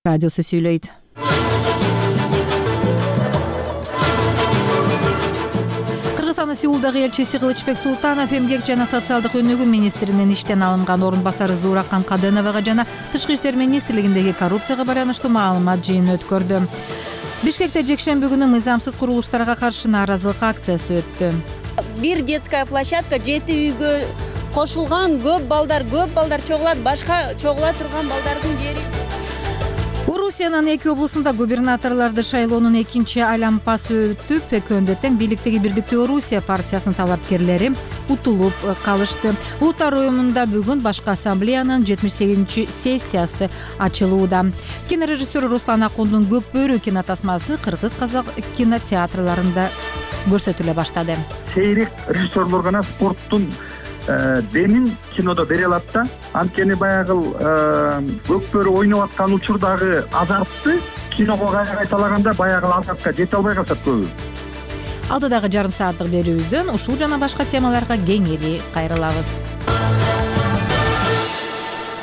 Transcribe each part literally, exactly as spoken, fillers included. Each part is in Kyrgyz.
радиосу сүйлөйт. Кыргызстандын Сеулдагы элчиси Кылычбек Султанов эмгек жана социалдык өнүгүү министринин иштен алынган орун басары Зууракан Каденовага жана Тышкы иштер министрлигиндеги коррупцияга байланыштуу маалымат жыйынын өткөрдү. Бишкекте жекшемби күнү мыйзамсыз курулуштарга каршы нааразылык акциясы өттү. Бир детская площадка жети үйгө кошулган, көп балдар, көп балдар чогулат, башка чогула турган балдардын жери. Орусиянын эки облусунда губернаторлорду шайлоонун экинчи айлампасы өтүп, экөөндө тең бийликтеги Бирдиктүү Орусия партиясынын талапкерлери утулуп калышты. Улуттар уюмунда бүгүн башкы ассамблеянын жетимиш сегизинчи сессиясы ачылууда. Кинорежиссер Руслан Акундун Көк бөрү кинотасмасы кыргыз казак кинотеатрларында көрсөтүлө баштады. Сейрек режиссерлор гана спорттун демин кинодо бере алат да. Анткени баягы Көк бөрү ойноп аткан учурдагы азартты киного кайталаганда баягы азартка жете албай калышат көбү. Алдыдагы жарым сааттык берүүбүздөн ушул жана башка темаларга кеңири кайрылабыз.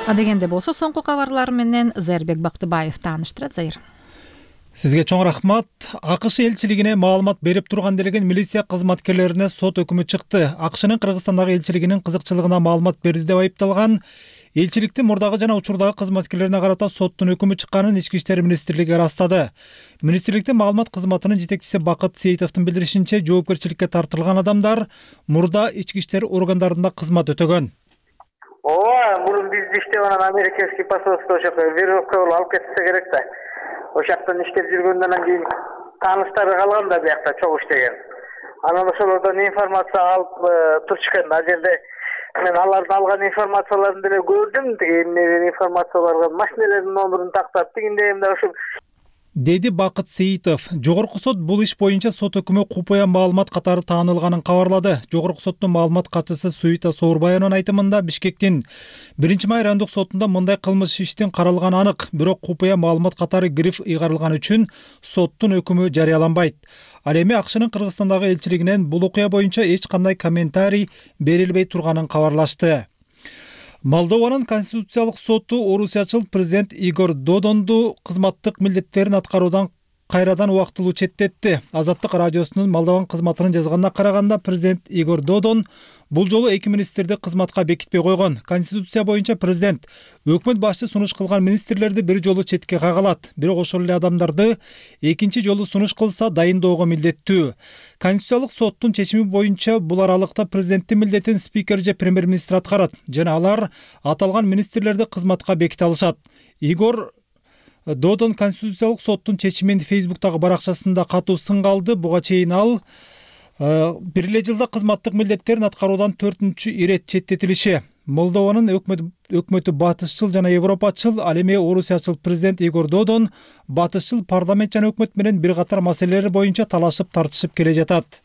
Адегенде болсо соңку кабарлар менен Зайырбек Бактыбаев тааныштырат. Зайыр. Сизге чоң рахмат. АКШ элчилигине маалымат берип турган делеген милиция кызматкерлерине сот өкүмү чыкты. АКШнын Кыргызстандагы элчилигинин кызыкчылыгына маалымат берди деп айыпталган элчиликтин мурдагы жана учурдагы кызматкерлерине карата соттун өкүмү чыкканын Ички иштер министрлиги ырастады. Министрликтин маалымат кызматынын жетекчиси Бакыт Сейитовдун билдиришинче, жоопкерчиликке тартылган адамдар мурда ички иштер органдарында кызмат өтөгөн. Ооба, мурун бизди иштеп анан американский посольство ошо веревка болуп алып кетсе керек да. Ошактан иштеп жүргөндөн кийин тааныштары калган да биякта чогуу иштеген. Анан ошолордон информация алып турчу экен. Ал жерде мен алардын алган информацияларын деле көрдүм. Тиги информацияларга машиналардын номерин тактап тигиндей эмне ошо деди Бакыт Сейитов. Жогорку сот бул иш боюнча сот өкүмү купуя маалымат катары таанылганын кабарлады. Жогорку соттун маалымат катчысы Суита Соорбаеванын айтымында Бишкектин биринчи май райондук сотунда мындай кылмыш иштин каралганы анык, бирок купуя маалымат катары гриф ыйгарылган үчүн соттун өкүмү жарыяланбайт. Ал эми АКШнын Кыргызстандагы элчилигинен бул окуя боюнча эч кандай комментарий берилбей турганын кабарлашты. Молдованын Конституциялык соту орусиячыл президент Игорь Додонду кызматтык милдеттерин аткаруудан кайрадан убактылуу четтетти. Азаттык радиосунун Молдован кызматынын жазганына караганда, президент Игорь Додон бул жолу эки министрди кызматка бекитпей койгон. Конституция боюнча президент өкмөт башчы сунуш кылган министрлерди бир жолу четке кагалат. Бирок ошол эле адамдарды экинчи жолу сунуш кылса дайындоого милдеттүү. Конституциялык соттун чечими боюнча бул аралыкта президенттин милдетин спикер же премьер-министр аткарат жана алар аталган министрлерди кызматка беките алышат. Игорь Додон Конституциялык соттун чечимин Фейсбуктагы баракчасында катуу сынга алды. Буга чейин ал бир эле жылда кызматтык милдеттерин аткаруудан төртүнчү ирет четтетилиши. Молдованын өкмөтү батышчыл жана европачыл, ал эми орусиячыл президент Игорь Додон батышчыл парламент жана өкмөт менен бир катар маселелер боюнча талашып тартышып келе жатат.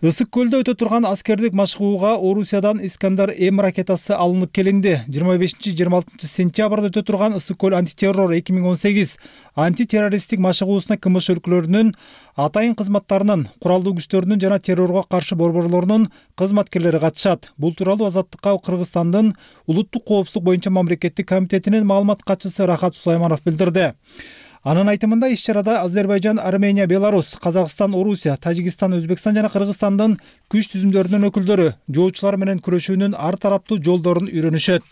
Ысык көлдө өтө турган аскердик машыгууга Орусиядан Искандер М ракетасы алынып келинди. жыйырма бешинчи жыйырма алтынчы сентябрда өтө турган Ысык көл антитеррор эки миң он сегиз антитеррористтик машыгуусуна КМШ өлкөлөрүнүн атайын кызматтарынын, куралдуу күчтөрүнүн жана террорго каршы борборлорунун кызматкерлери катышат. Бул тууралуу Азаттыкка Кыргызстандын улуттук коопсуздук боюнча мамлекеттик комитетинин маалымат катчысы Рахат Сулайманов билдирди. Анын айтымында иш-чарада Азербайжан, Армения, Беларусь, Казакстан, Орусия, Тажикстан, Өзбекстан жана Кыргызстандын күч түзүмдөрүнүн өкүлдөрү жоочулар менен күрөшүүнүн ар тараптуу жолдорун үйрөнүшөт.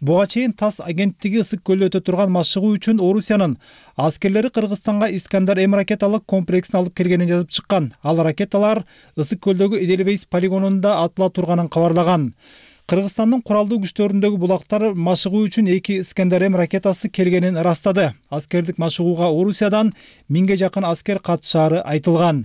Буга чейин ТАСС агенттиги Ысык көлдө өтө турган машыгуу үчүн Орусиянын аскерлери Кыргызстанга Искандер М ракеталык комплексин алып келгенин жазып чыккан. Ал ракеталар Ысык көлдөгү Эдельвейс полигонунда атыла турганын кабарлаган. Кыргызстандын куралдуу күчтөрүндөгү булактар машыгуу үчүн эки Искандер М ракетасы келгенин ырастады. Аскердик машыгууга Орусиядан миңге жакын аскер катышаары айтылган.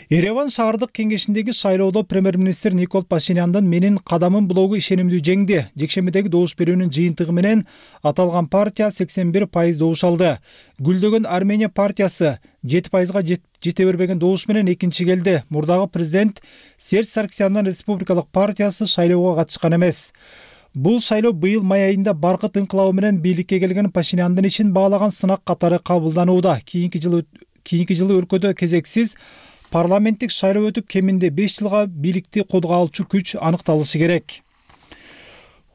Ереван шаардык кеңешиндеги шайлоодо премьер-министр Никол Пашиняндын «Менин кадамым» блогу ишенимдүү жеңди. Жекшембидеги добуш берүүнүн жыйынтыгы менен аталган партия сексен бир пайыз добуш алды. Гүлдөгөн Армения партиясы жети пайызга жете бербеген добуш менен экинчи келди. Мурдагы президент Серж Сарксяндын республикалык партиясы шайлоого катышкан эмес. Бул шайлоо быйыл май айында баркыт инкылабы менен бийликке келген Пашиняндын ишин баалаган сынак катары кабылданууда. Кийинки жылы кийинки жылы өлкөдө кезексиз парламенттик шайлоо өтүп, кеминде беш жылга бийликти колго алчу күч аныкталышы керек.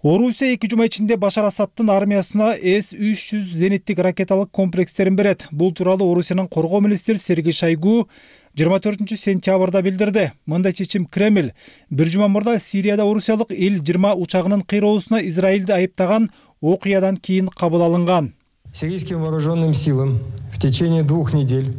Орусия эки жума ичинде Башар Асаддын армиясына эс үч жүз зениттик ракеталык комплекстерин берет. Бул тууралуу Орусиянын коргоо министри Сергей Шойгу жыйырма төртүнчү сентябрда билдирди. Мындай чечим Кремль бир жума мурда Сирияда орусиялык Ил жыйырма учагынын кыйроосуна Израилди айыптаган окуядан кийин кабыл алынган. Сирийским вооруженным силам в течение двух недель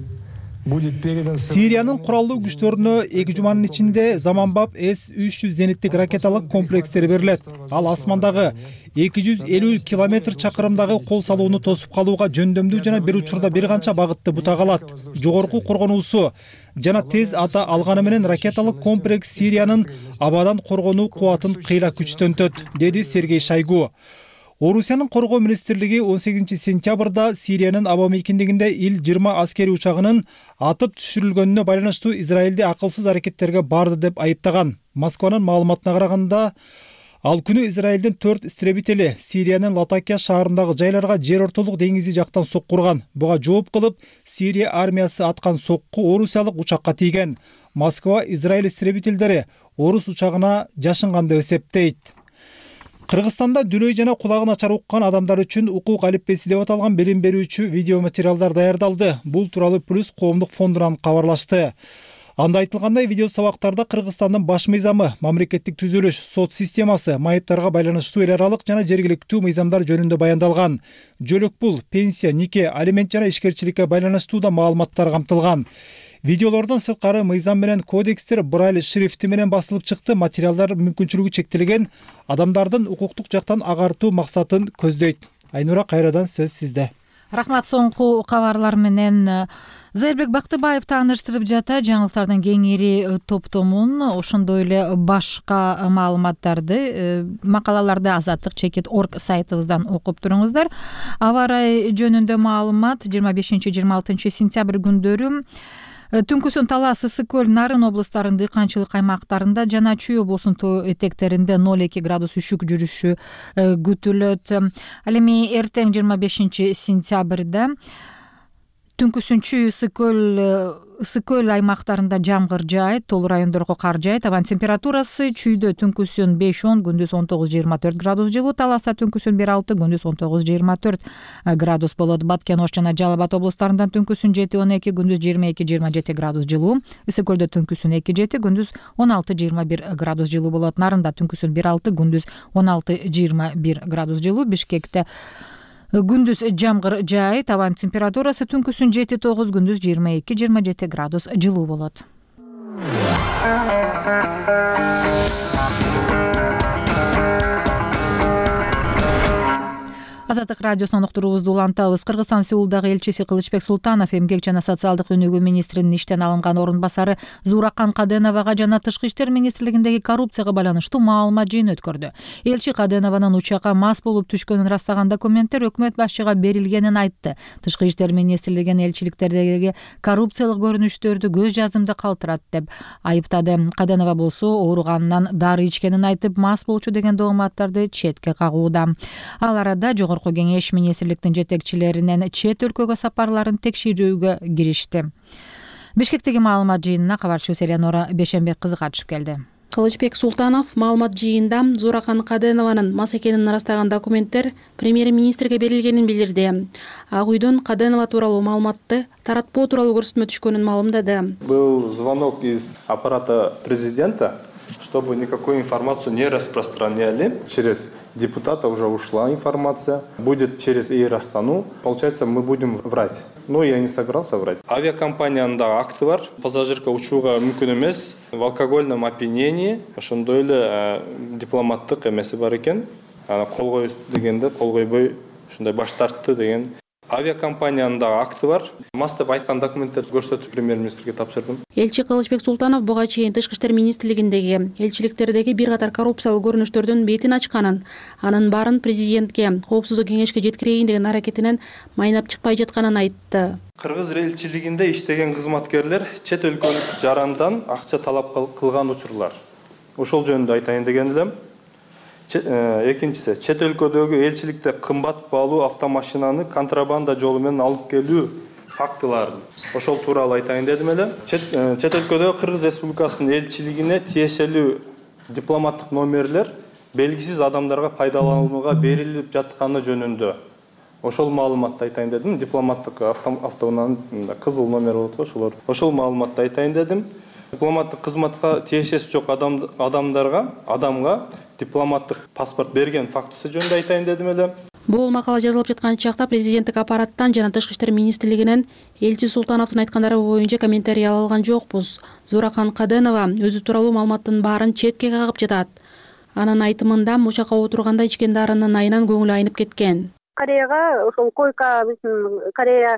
будет передан Сириянын куралдуу күчтөрүнө эки жуманын ичинде заманбап эс үч жүз зениттик ракеталык комплекстери берилет. Ал асмандагы эки жүз элүү километр чакырымдагы кол салууну тосуп калууга жөндөмдүү жана бир учурда бир канча багытты бутак алат. Жогорку коргонуусу жана тез ата алганы менен ракеталык комплекс Сириянын абадан коргонуу кубатын кыйла күчтөнтөт, деди Сергей Шойгу. Орусиянын коргоо министрлиги он сегизинчи сентябрда Сириянын аба мейкиндигинде Ил жыйырма аскери учагынын атып түшүрүлгөнүнө байланыштуу Израилди акылсыз аракеттерге барды деп айыптаган. Москванын маалыматына караганда, ал күнү Израилдин төрт истребители Сириянын Латакия шаарындагы жайларга жер ортолук деңизи жактан соккурган. Буга жооп кылып, Сирия армиясы аткан сокку орусиялык учакка тийген. Москва Израиль истребительдери орус учагына жашынган деп эсептейт. Кыргызстанда дүлөй жана кулагы начар уккан адамдар үчүн укук алиппеси деп аталган билим берүүчү видео материалдар даярдалды. Бул тууралуу Плюс коомдук фондунан кабарлашты. Анда айтылгандай, видео сабактарда Кыргызстандын баш мыйзамы, мамлекеттик түзүлүш, сот системасы, майыптарга байланыштуу эл аралык жана жергиликтүү мыйзамдар жөнүндө баяндалган. Жөлөк пул, пенсия, нике, алимент жана ишкерчиликке байланыштуу да маалыматтар камтылган. Видеолордон сырткары мыйзам менен кодекстер брайль шрифти менен басылып чыкты. Материалдар мүмкүнчүлүгү чектелген адамдардын укуктук жактан агартуу максатын көздөйт. Айнура, кайрадан сөз сизде. Рахмат. Соңку кабарлар менен Зайырбек Бактыбаев тааныштырып жата. Жаңылыктардын кеңири топтомун, ошондой эле башка маалыматтарды, макалаларды азаттык чекит орг сайтыбыздан окуп туруңуздар. Аба ырайы жөнүндө маалымат жыйырма бешинчи жыйырма алтынчы сентябрь күндөрү Түнкүсүн Талас, Ысык көл, Нарын облустарынын дыйканчылык аймактарында жана Чүй облусунун тоо этектеринде ноль эки градус үшүк жүрүшү күтүлөт. Ал эми эртең жыйырма бешинчи сентябрда түнкүсүн Чүй, Ысык көл, Ысык көл аймактарында жамгыр жаайт, толуу райондорго кар жаайт. Абан температурасы Чүйдө түнкүсүн беш он, күндүз он тогуз жыйырма төрт градус жылуу, Таласта түнкүсүн бир алты, күндүз он тогуз жыйырма төрт градус болот. Баткен, Ош жана Жалал Абад облустарында түнкүсүн жети он эки, күндүз жыйырма эки жыйырма жети градус жылуу, Ысык көлдө түнкүсүн эки жети, күндүз он алты жыйырма бир градус жылуу болот. Нарында түнкүсүн бир алты, күндүз он алты жыйырма бир градус жылуу. Бишкекте күндүз жамгыр жаайт, абан температурасы түнкүсүн жети тогуз, күндүз жыйырма эки жыйырма жети градус жылуу болот. Азаттык радиосунан уктуруубузду улантабыз. Кыргызстан Сеулдагы элчиси Кылычбек Султанов эмгек жана социалдык өнүгүү министринин иштен алынган орун басары Зууракан Каденовага жана Тышкы иштер министрлигиндеги коррупцияга байланыштуу маалымат жыйын өткөрдү. Элчи Каденованын учакка мас болуп түшкөнүн ырастаган документтер өкмөт башчыга берилгенин айтты. Тышкы иштер министрлигинин элчиликтердеги коррупциялык көрүнүштөрдү көз жазымда калтырат деп айыптады. Каденова болсо ооруганынан дары ичкенин айтып, мас болчу деген дооматтарды четке кагууда. Ал арада жогорку кеңеш министрликтин жетекчилеринен чет өлкөгө сапарларын текшерүүгө киришти. Бишкектеги маалымат жыйынына кабарчыбыз Элеонора Бешенбек кызы катышып келди. Кылычбек Султанов маалымат жыйында Зууракан Каденованын мас экенин ырастаган документтер премьер-министрге берилгенин билдирди. Ак үйдөн Каденова тууралуу маалыматты таратпоо тууралуу көрсөтмө түшкөнүн маалымдады. Был звонок из аппарата президента, чтобы никакую информацию не распространяли. Через депутата уже ушла информация. Будет через Эйр Астану. Получается, мы будем врать. Но я не собирался врать. Авиакомпанияда акты бар. Пассажирка учууга мүмкүн эмес. В алкогольном опьянении ошондой эле дипломаттык эмеси бар экен. Кол коюш дегенде кол койбой ушундай баш тартты деген. Авиакомпанияда акты бар. Мас деп айткан документтерди көрсөтүп премьер-министрге тапшырдым. Элчи Кылычбек Султанов буга чейин Тышкы иштер министрлигиндеги элчиликтердеги бир катар коррупциялык көрүнүштөрдүн бетин ачканын, анын баарын президентке, коопсуздук кеңешке жеткирейин деген аракетинен майнап чыкпай жатканын айтты. Кыргыз элчилигинде иштеген кызматкерлер чет өлкөлүк жарандан акча талап кылган учурлар. Ошол жөнүндө айтайын деген элем. Экинчиси, чет өлкөдөгү элчиликте кымбат баалуу автомашинаны контрабанда жолу менен алып келүү фактыларын. Ошол тууралуу айтайын дедим эле. Чет, чет өлкөдөгү Кыргыз Республикасынын элчилигине тиешелүү дипломаттык номерлер белгисиз адамдарга пайдаланууга берилип жатканы жөнүндө ошол маалыматты айтайын дедим. Дипломаттык автоунаанын кызыл номери болот го, ошолор. Ошол маалыматты айтайын дедим. Дипломаттык кызматка тиешеси жок адамдарга, адамга дипломаттык паспорт берген фактысы жөнүндө айтайын дедим эле. Бул макала жазылып жаткан чакта президенттик аппараттан жана Тышкы иштер министрлигинен элчи Султановдун айткандары боюнча комментарий ала алган жокпуз. Зууракан Каденова өзү тууралуу маалыматтын баарын четке кагып жатат. Анын айтымында мучакка отурганда ичкен дарынын айынан көңүлү айнып кеткен. Кореяга ошол койка биздин Корея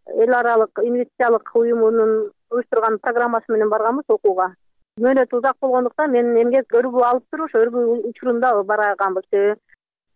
эл аралык инвестициялык уюмунун уюштурган программасы менен барганбыз окууга. Мөөнөтү узак болгондуктан мен эмгек өргүү алып туруп ошо өргүү учурунда барганбыз.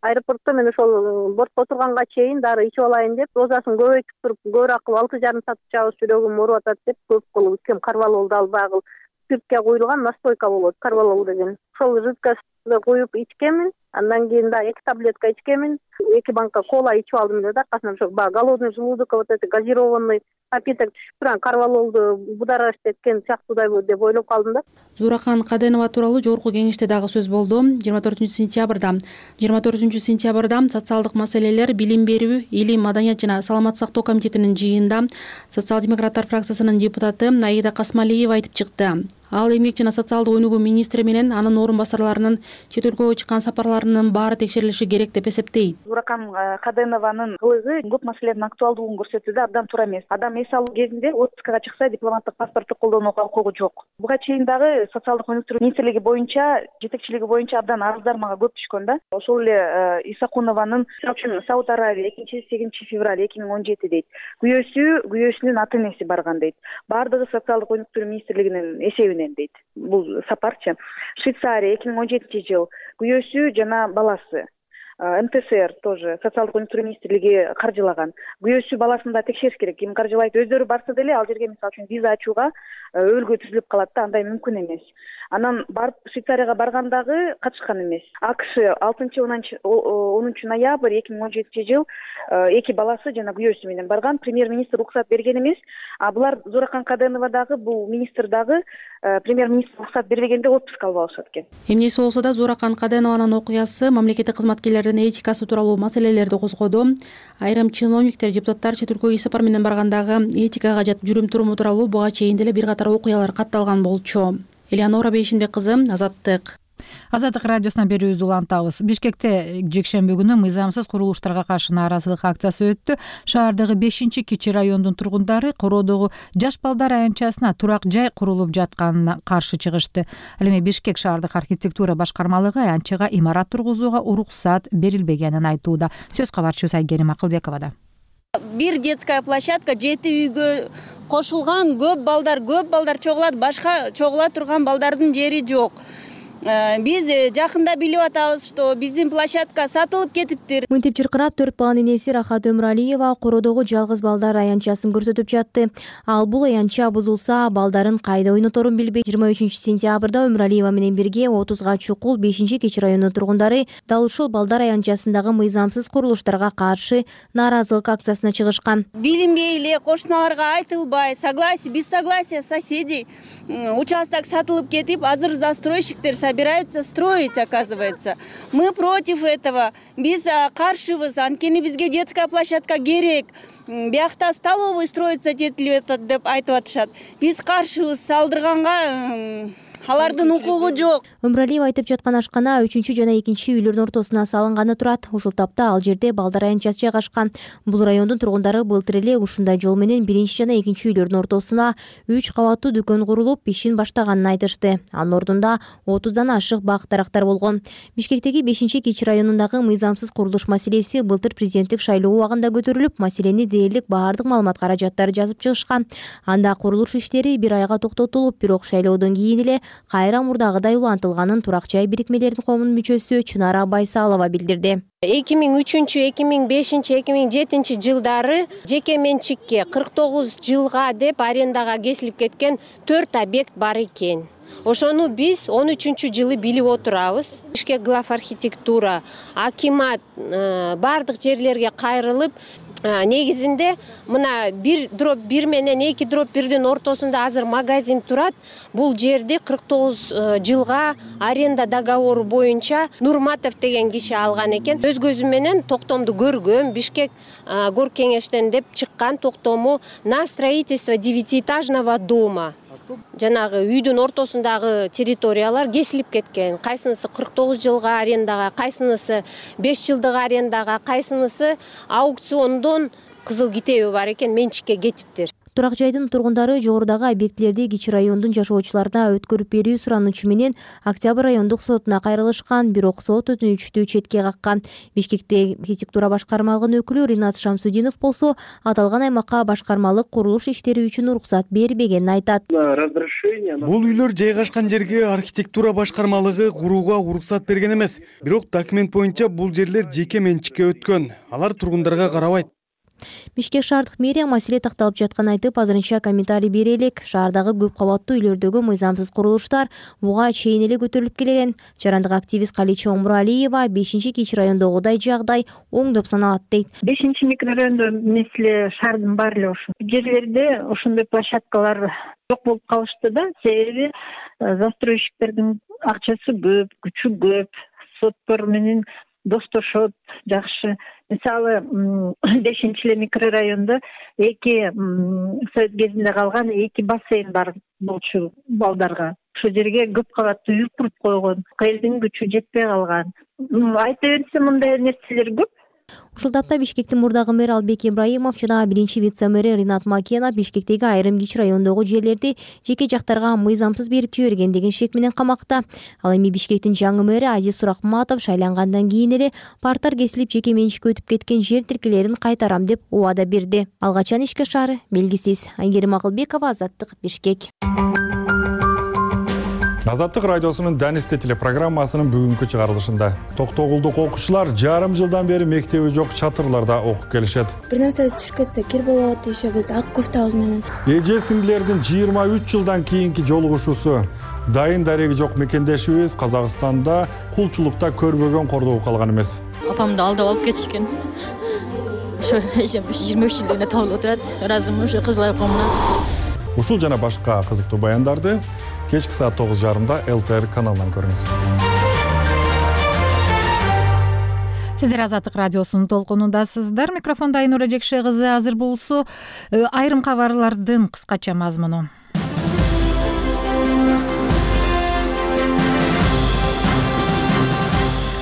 Аэропортто мен ошол бортко отурганга чейин дары ичип алайын деп, дозасын көбөйтүп туруп, көбүрөөк кылып алты жарым саат ичабыз, жүрөгүм ооруп атат деп көп кылып ичкем. Карвалолду ал багыл спиртке куюлган настойка болот, карвалол деген. Ошол жидкосту куюп ичкемин. Андан кийин да эки таблетка ичкемин, эки банка кола ичип алдым эле да, аркасынан ошо баягы голодный желудок, вот это газированный напиток түшүп турган карвалолду будараш эткен сыяктуудай деп ойлоп калдым да. Зууракан Каденова тууралуу жогорку кеңеште дагы сөз болду. жыйырма төртүнчү сентябрда жыйырма төртүнчү сентябрда социалдык маселелер, билим берүү, илим, маданият жана саламаттык сактоо комитетинин жыйынында социал-демократтар фракциясынын депутаты Аида Касмалиева айтып чыкты. Ал эмгек жана социалдык өнүгүү министри менен анын орун басарларынын чет өлкөгө чыккан сапарларынын баары текшерилиши керек деп эсептейт. Зууракан Каденованын кылыгы көп маселенин актуалдуулугун көрсөтүүдө абдан туура эмес. Адам эс алуу кезинде отпускага чыкса дипломаттык паспортту колдонууга укугу жок. Буга чейин дагы социалдык өнүктүрүү министрлиги боюнча, жетекчилиги боюнча абдан арыздар мага көп түшкөн да. Ошол эле Исакунованын үчүн Сауд Арабия экинчи сегизинчи февраль эки миң он жети дейт. Күйөөсү, күйөөсүнүн ата энеси барган дейт. Баардыгы социалдык өнүктүрүү министрлигинин эсебинен дейт. Бул сапарчы. Швейцария эки миң он жетинчи жыл күйөөсү жана баласы. эм тэ эс эр тоже социалдык өнүктүрүү министрлиги каржылаган. Күйөөсү баласын да текшериш керек. Ким каржылайт? Өздөрү барса деле ал жерге мисалы үчүн виза ачууга өлгө түзүлүп калат да, андай мүмкүн эмес. Анан барып Швейцарияга баргандагы катышкан эмес. АКШ алтынчы онунчу ноябрь эки миң он жетинчи жыл эки баласы жана күйөөсү менен барган. Премьер-министр уруксат берген эмес. А булар Зууракан Каденова дагы, бул министр дагы премьер-министр уруксат бербегенде отпуск алып алышат экен. Эмнеси болсо да Зууракан Каденованын окуясы мамлекеттик кызматкерлердин этикасы тууралуу маселелерди козгоду. Айрым чиновниктер, депутаттар чет өлкөгө сапар менен баргандагы этикага жат жүрүм туруму тууралуу буга чейин деле бир катар окуялар катталган болчу. Элеонора Бейшинбек кызы, Азаттык. Азаттык радиосуна берүүбүздү улантабыз. Бишкекте жекшемби күнү мыйзамсыз курулуштарга каршы нааразылык акциясы өттү. Шаардагы бешинчи кичи райондун тургундары короодогу жаш балдар аянтчасына турак жай курулуп жатканына каршы чыгышты. Ал эми Бишкек шаардык архитектура башкармалыгы аянтчага имарат тургузууга уруксат берилбегенин айтууда. Сөз кабарчыбыз Айгерим Акылбековада. Бир детская площадка жети үйгө кошулган, көп балдар, көп балдар чогулат, башка чогула турган балдардын жери жок. Биз жакында билип атабыз, что биздин площадка сатылып кетиптир. Мынтип чыркырап төрт баланын энеси Рахат Өмүралиева короодогу жалгыз балдар аянтчасын көрсөтүп жатты. Ал бул аянтча бузулса, балдарын кайда ойноторун билбей, жыйырма үчүнчү сентябрда Өмүралиева менен бирге отузга чукул бешинчи кичи районунун тургундары дал ушул балдар аянтчасындагы мыйзамсыз курулуштарга каршы нааразылык акциясына чыгышкан. Билинбей эле кошуналарга айтылбай, согласие, без согласия соседей участок сатылып кетип, азыр застройщиктер собираются строить, оказывается. Мы против этого. Биз каршыбыз. Анткени бизге детская площадка керек. Биякта столовый строиться детилип атат деп айтып атышат. Биз каршыбыз. Салдырганга алардын укугу жок. Өмүралиева айтып жаткан ашкана үчүнчү жана экинчи үйлөрдүн ортосуна салынганы турат. Ушул тапта ал жерде балдар аянтчасы жайгашкан. Бул райондун тургундары былтыр эле ушундай жол менен биринчи жана экинчи үйлөрдүн ортосуна үч кабаттуу дүкөн курулуп, ишин баштаганын айтышты. Анын ордунда отуздан ашык бак дарактар болгон. Бишкектеги бешинчи кичи районундагы мыйзамсыз курулуш маселеси былтыр президенттик шайлоо убагында көтөрүлүп, маселени дээрлик баардык маалымат каражаттары жазып чыгышкан. Анда курулуш иштери бир айга токтотулуп, бирок шайлоодон кийин эле кайра мурдагыдай улантылганын турак жай бирикмелеринин коомунун мүчөсү Чынара Байсалова билдирди. эки миң үчүнчү, эки миң бешинчи, эки миң жетинчи жылдары жеке менчикке кырк тогуз жылга деп арендага кесилип кеткен төрт объект бар экен. Ошону биз он үчүнчү жылы билип отурабыз. Бишкек глав архитектура, акимат бардык жерлерге кайрылып, негизинде мына бир дроп бир менен эки дроп бирдин ортосунда азыр магазин турат. Бул жерди кырк тогуз жылга аренда договору боюнча Нурматов деген киши алган экен. Өз көзүм менен токтомду көргөм. Бишкек горкеңештен деп чыккан токтому на строительство девятиэтажного дома. Жанагы үйдүн ортосундагы территориялар кесилип кеткен. Кайсынысы кырк тогуз жылга арендага, кайсынысы беш жылдык арендага, кайсынысы аукциондон кызыл китеби бар экен, менчикке кетиптир. Турак жайдын тургундары жогорудагы объектилерди кичи райондун жашоочуларына өткөрүп берүү суранычу менен Октябрь райондук сотуна кайрылышкан, бирок сот өтүнүчтү четке каккан. Бишкекте архитектура башкармалыгынын өкүлү Ринат Шамсудинов болсо, аталган аймакка башкармалык курулуш иштери үчүн уруксат бербегенин айтат. Бул үйлөр жайгашкан жерге архитектура башкармалыгы курууга уруксат берген эмес, бирок документ боюнча бул жерлер жеке менчикке өткөн. Алар тургундарга карабайт. Бишкек шаардык мэрия маселе такталып жатканын айтып, азырынча комментарий бере элек. Шаардагы көп кабаттуу үйлөрдөгү мыйзамсыз курулуштар буга чейин эле көтөрүлүп келген. Жарандык активист Калича Омуралиева бешинчи кичи райондогудай жагдай оң деп саналат дейт. бешинчи микрорайондо мисли шаардын баары эле ошол жерлерде ошондой площадкалар жок болуп калышты да. Себеби застройщиктердин акчасы көп, күчү көп, соттор менен достошот жакшы. Мисалы, бешинчи эле микрорайондо эки совет кезинде калган эки бассейн бар болчу балдарга. Ошол жерге көп кабаттуу үй куруп койгон. Элдин күчү жетпей калган. Айта берсе мындай нерселер көп. Ушул тапта Бишкектин мурдагы мэр Албек Ибраимов жана биринчи вице-мэри Ринат Макенов Бишкектеги айрым кичи райондогу жерлерди жеке жактарга мыйзамсыз берип жиберген деген шек менен камакта. Ал эми Бишкектин жаңы мэри Азиз Суракматов шайлангандан кийин эле парктар кесилип жеке менчикке өтүп кеткен жер тилкелерин кайтарам деп убада берди. Ал качан ишке ашаары белгисиз. Айгерим Акылбекова, Азаттык, Бишкек. Азаттык радиосунун Данисте телепрограммасынын бүгүнкү чыгарылышында токтогулдук окуучулар жарым жылдан бери мектеби жок чатырларда окуп келишет. Бир нерсе түшүп кетсе кир болот дешебиз ак кофтабыз менен. Эже сиңдилердин жыйырма үч жылдан кийинки жолугушуусу. Дайын дареги жок мекендешибиз Казакстанда кулчулукта көрбөгөн кордоого калган эмес. Апамды алдап алып кетишкен. Ошо эжем жыйырма үч жылдан табылып отурат. Ыраазымын ошо кызыл айкомуна. Ушул жана башка кызыктуу баяндарды кечки саат тогуз жарымда эл тэ эр каналынан көрүңүз. Сиздер Азаттык радиосунун толкунундасыздар. Микрофонда Айнура Жекше кызы. Азыр болсо айрым кабарлардын кыскача мазмуну.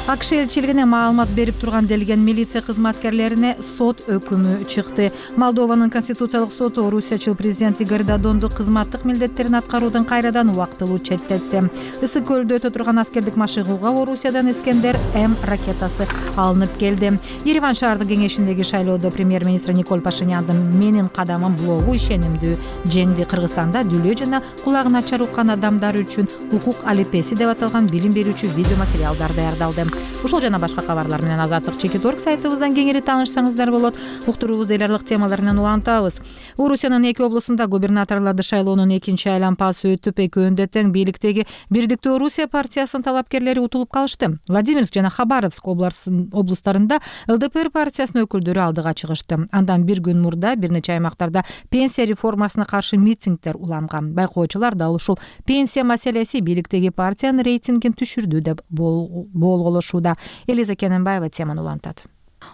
АКШ элчилигине маалымат берип турган делген милиция кызматкерлерине сот өкүмү чыкты. Молдованын конституциялык соту Орусиячыл президент Игорь Додонду кызматтык милдеттерин аткаруудан кайрадан убактылуу четтетти. Ысык көлдө өтө турган аскердик машыгууга Орусиядан Искендер М ракетасы алынып келди. Ереван шаардык кеңешиндеги шайлоодо премьер-министр Николь Пашиняндын «Менин кадамым» блогу ишенимдүү жеңди. Кыргызстанда дүлөө жана кулагы начар уккан адамдар үчүн укук алипеси деп аталган билим берүүчү видеоматериалдар даярдалды. Ушул жана башка кабарлар менен Азаттык чекит точка орг сайтыбыздан кеңири таанышсаңыздар болот. Уктуруубузду эл аралык темалар менен улантабыз. Орусиянын эки облусунда губернаторлорду шайлоонун экинчи айланпасы өтүп, экөөндө тең бийликтеги Бирдиктүү Орусия партиясынын талапкерлери утулуп калышты. Владимирск жана Хабаровск облустарында эл дэ пэ эр партиясынын өкүлдөрү алдыга чыгышты. Андан бир күн мурда бир нече аймактарда пенсия реформасына каршы митингдер уланган. Байкоочулар дал ушул пенсия маселеси бийликтеги партиянын рейтингин түшүрдү деп болголошууда. Элиза Кененбаева теманы улантат.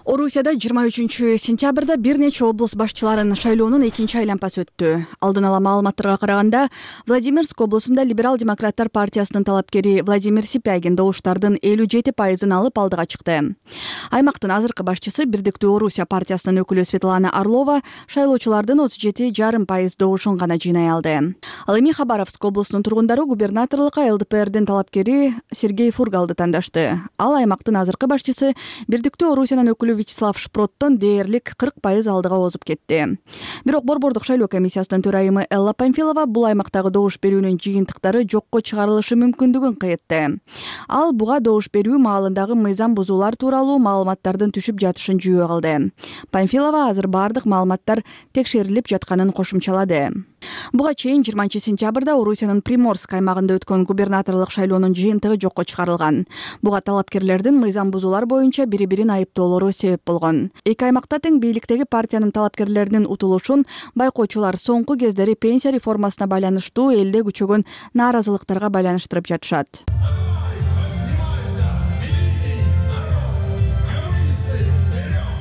Орусияда жыйырма үчүнчү сентябрда бир нече облус башчыларынын шайлоонун экинчи айланпасы өттү. Алдын ала маалыматтарга караганда, Владимирск облусунда либерал-демократтар партиясынын талапкери Владимир Сипягин добуштардын элүү жети пайызын алып алдыга чыкты. Аймактын азыркы башчысы Бирдиктүү Орусия партиясынын өкүлү Светлана Орлова шайлоочулардын отуз жети жарым пайыз добушун гана жыйнай алды. Ал эми Хабаровск облусунун тургундары губернаторлукка эл дэ пэ эрдин талапкери Сергей Фургалды тандашты. Ал аймактын азыркы башчысы Бирдиктүү Орусиянын өкүлү Вячеслав Шпроттон дээрлик кырк пайыз алдыга озуп кетти. Бирок Борбордук шайлоо комиссиясынын төрайымы Элла Памфилова бул аймактагы добуш берүүнүн жыйынтыктары жокко чыгарылышы мүмкүндүгүн кыйтты. Ал буга добуш берүү маалындагы мыйзам бузуулар тууралуу маалыматтардын түшүп жатышын жүйө кылды. Памфилова азыр бардык маалыматтар текшерилип жатканын кошумчалады. Буга чейин жыйырманчы сентябрда Орусиянын Приморск аймагында өткөн губернаторлук шайлоонун жыйынтыгы жокко чыгарылган. Буга талапкерлердин мыйзам бузуулар боюнча бири-бирин айыптоолору себеп болгон. Эки аймакта тең бийликтеги партиянын талапкерлеринин утулушун байкоочулар соңку кездери пенсия реформасына байланыштуу элде күчөгөн нааразылыктарга байланыштырып жатышат.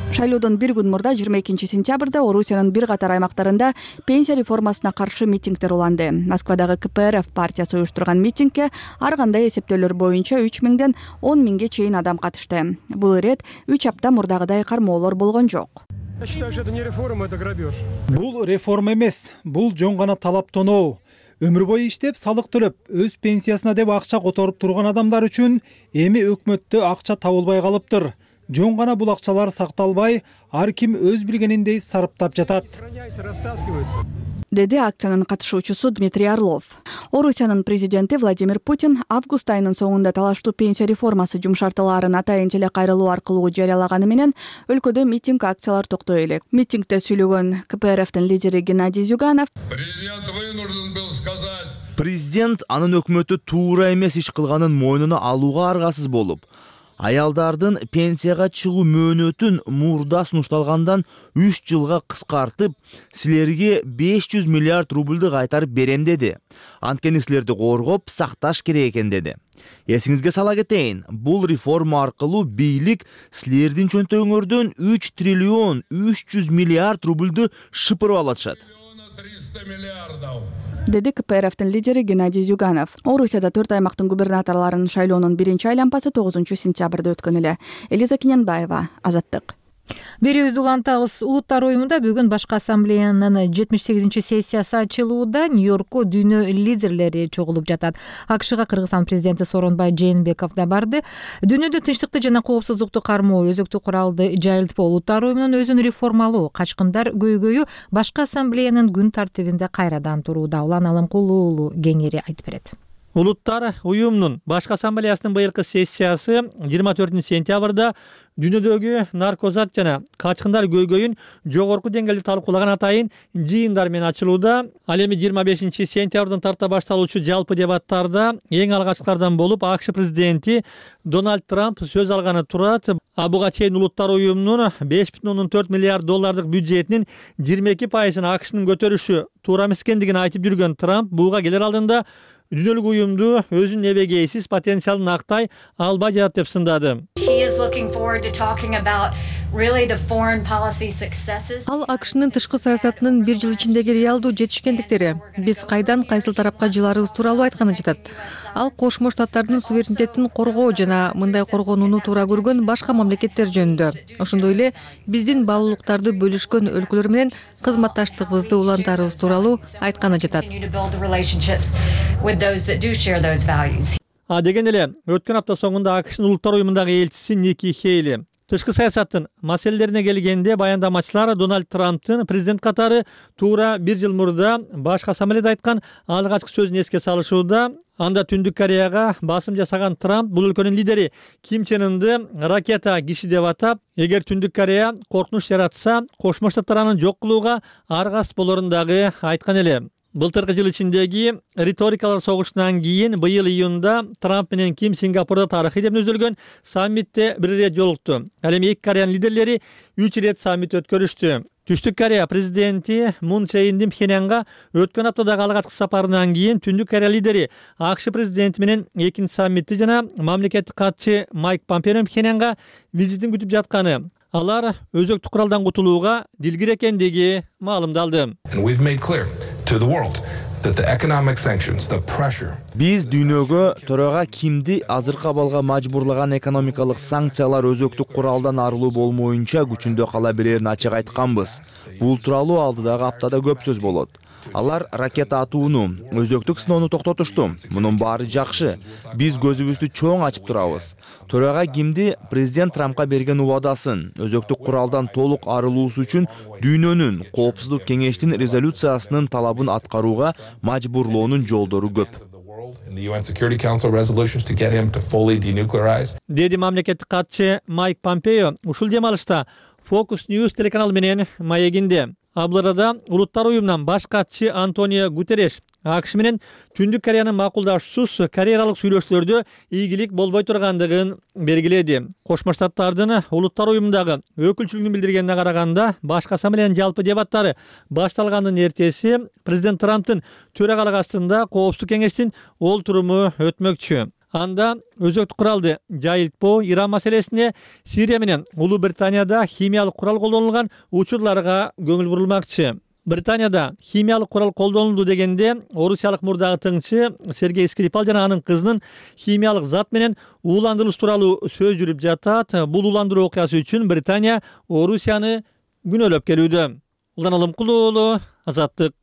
Шайлоодон бир күн мурда жыйырма экинчи сентябрда Орусиянын бир катар аймактарында пенсия реформасына каршы митингдер уланды. Москвадагы ка пэ эр эф партиясы уюштурган митингке ар кандай эсептөөлөр боюнча үч миңден он миңге чейин адам катышты. Бул ирет үч апта мурдагыдай кармоолор болгон жок. Я считаю, что это не реформа, это грабеж. Бул реформа эмес, бул жон гана талаптоноо. Өмүр бою иштеп, салык төлөп, өз пенсиясына деп акча которуп турган адамдар үчүн эми өкмөттө акча табылбай калыптыр. Жон гана бул акчалар сакталбай, ар ким өз билгениндей сарптап жатат, деди акциянын катышуучусу Дмитрий Орлов. Орусиянын президенти Владимир Путин август айынын соңунда талаштуу пенсия реформасы жумшартууларын атайын теле кайрылуу аркылуу жарыялаганы менен өлкөдө митинг акциялар токтой элек. Митингде сүйлөгөн ка пэ эр эфтин лидери Геннадий Зюганов президент анын өкмөтү туура эмес иш кылганын мойнуна алууга аргасыз болуп, аялдардын пенсияга чыгуу мөөнөтүн мурда сунушталгандан үч жылга кыскартып, силерге беш жүз миллиард рубльды кайтарып берем деди. Анткени силерди коргоп, сакташ керек экен деди. Эсиңизге сала кетейин, бул реформа аркылуу бийлик силердин чөнтөгүңөрдөн үч триллион үч жүз миллиард рубльды шыпырып алышат, деди ка пэ эр эфтин лидери Геннадий Зюганов. Орусияда төрт аймактын губернаторлорунун шайлоонун биринчи айланпасы тогузунчу сентябрда өткөн эле. Элиза Кененбаева, Азаттык. Берүүбүздү улантабыз. Улуттар уюмунда бүгүн башкы ассамблеянын жетимиш сегизинчи сессиясы ачылууда Нью-Йоркко дүйнө лидерлери чогулуп жатат. а ка шга Кыргызстан президенти Сооронбай Жээнбеков да барды. Дүйнөдө тынчтыкты жана коопсуздукту кармоо, өзөктүк куралды жайылтпоо, улуттар уюмунун өзүн реформалоо, качкындар көйгөйү башкы ассамблеянын күн тартибинде кайрадан турууда. Улан Алымкулуу уулу кеңири айтып берет. Улуттар уюмунун башкы ассамблеясынын быйылкы сессиясы жыйырма төртүнчү сентябрда дүйнөдөгү наркозат жана качкындар көйгөйүн жогорку деңгээлде талкуулаган атайын жыйындар менен ачылууда. Ал эми жыйырма бешинчи сентябрдан тарта башталуучу жалпы дебаттарда эң алгачкылардан болуп а ка ш президенти Дональд Трамп сөз алганы турат. А буга чейин улуттар уюмунун беш бүтүн ондон төрт миллиард доллардык бюджетинин жыйырма эки пайызын а ка шнын көтөрүшү туура эмес экендигин айтып жүргөн Трамп буга келер алдында дүйнөлүк уюмду өзүнүн эбегейсиз потенциалын актай албай жатат деп сындады. Ал а ка шнын тышкы саясатынын бир жыл ичиндеги реалдуу жетишкендиктери, биз кайдан кайсыл тарапка жыларыбыз тууралуу айтканы жатат. Ал Кошмо Штаттардын суверенитетин коргоо жана мындай коргонууну туура көргөн башка мамлекеттер жөнүндө, ошондой эле биздин баалуулуктарды бөлүшкөн өлкөлөр менен кызматташтыгыбызды улантаарыбыз тууралуу айтканы жатат. А деген эле өткөн апта соңунда а ка шнын улуттар уюмундагы элчиси Ники Хейли тышкы саясаттын маселелерине келгенде баяндамачылар Дональд Трамптын президент катары туура бир жыл мурда башкы ассамблеяда айткан алгачкы сөзүн эске салышууда. Анда Түндүк Кореяга басым жасаган Трамп бул өлкөнүн лидери Ким Чен Ынды ракета киши деп атап, эгер Түндүк Корея коркунуч жаратса, Кошмо Штаттар аны жок кылууга аргасыз болорун дагы айткан эле. Былтыркы жыл ичиндеги риторикалар согушунан кийин быйыл июнда Трамп менен Ким Сингапурда тарыхый деп өзөлгөн саммитте бир ирет жолукту. Ал эми эки Кореянын лидерлери үч ирет саммит өткөрүштү. Түштүк Корея президенти Мун Чже Индин Пхеньянга өткөн аптадагы алгачкы сапарынан кийин Түндүк Корея лидери а ка ш президенти менен экинчи саммитти жана мамлекеттик катчы Майк Помпео Пхеньянга визитин күтүп жатканы, алар өзөктүк куралдан кутулууга дилгир экендиги маалымдалды. Биз дүйнөгө төрага Кимди азыркы абалга мажбурлаган экономикалык санкциялар өзөктүк куралдан арылуу болмоюнча күчүндө кала берерин ачык айтканбыз. Бул тууралуу алдыдагы аптада көп сөз болот. Алар ракета атууну, өзөктүк сыноону токтотушту. Мунун баары жакшы. Биз көзүбүздү чоң ачып турабыз. Төрага Кимди президент Трампка берген убадасын, өзөктүк куралдан толук арылуусу үчүн дүйнөнүн коопсуздук кеңештин резолюциясынын талабын аткарууга мажбурлоонун жолдору көп. Деди мамлекеттик катчы Майк Помпео ушул дем алышта Focus News телеканалы менен маегинде. Абларада улуттар уюмунан баш катчы Антонио Гутерреш АКШ менен Түндүк Кореянын макулдашуусуз кореялык сүйлөшүүлөрдө ийгилик болбой тургандыгын белгиледи. Кошмо Штаттардын улуттар уюмундагы өкүлчүлүгүн билдиргенине караганда, башкы ассамблеянын жалпы дебаттары башталгандын эртеси президент Трамптын төрагалык астында Коопсуздук кеңештин олтуруму өтмөкчү. Анда өзөктүк куралды жайылтпоо, Иран маселесине, Сирия менен Улуу Британияда химиялык курал колдонулган учурларга көңүл бурулмакчы. Британияда химиялык курал колдонулду дегенде, орусиялык мурдагы тыңчы Сергей Скрипал жана анын кызынын химиялык зат менен ууландырылыш тууралуу сөз жүрүп жатат. Бул ууландыруу окуясы үчүн Британия Орусияны күнөөлөп келүүдө. Улан Алымкулуу уулу, Азаттык.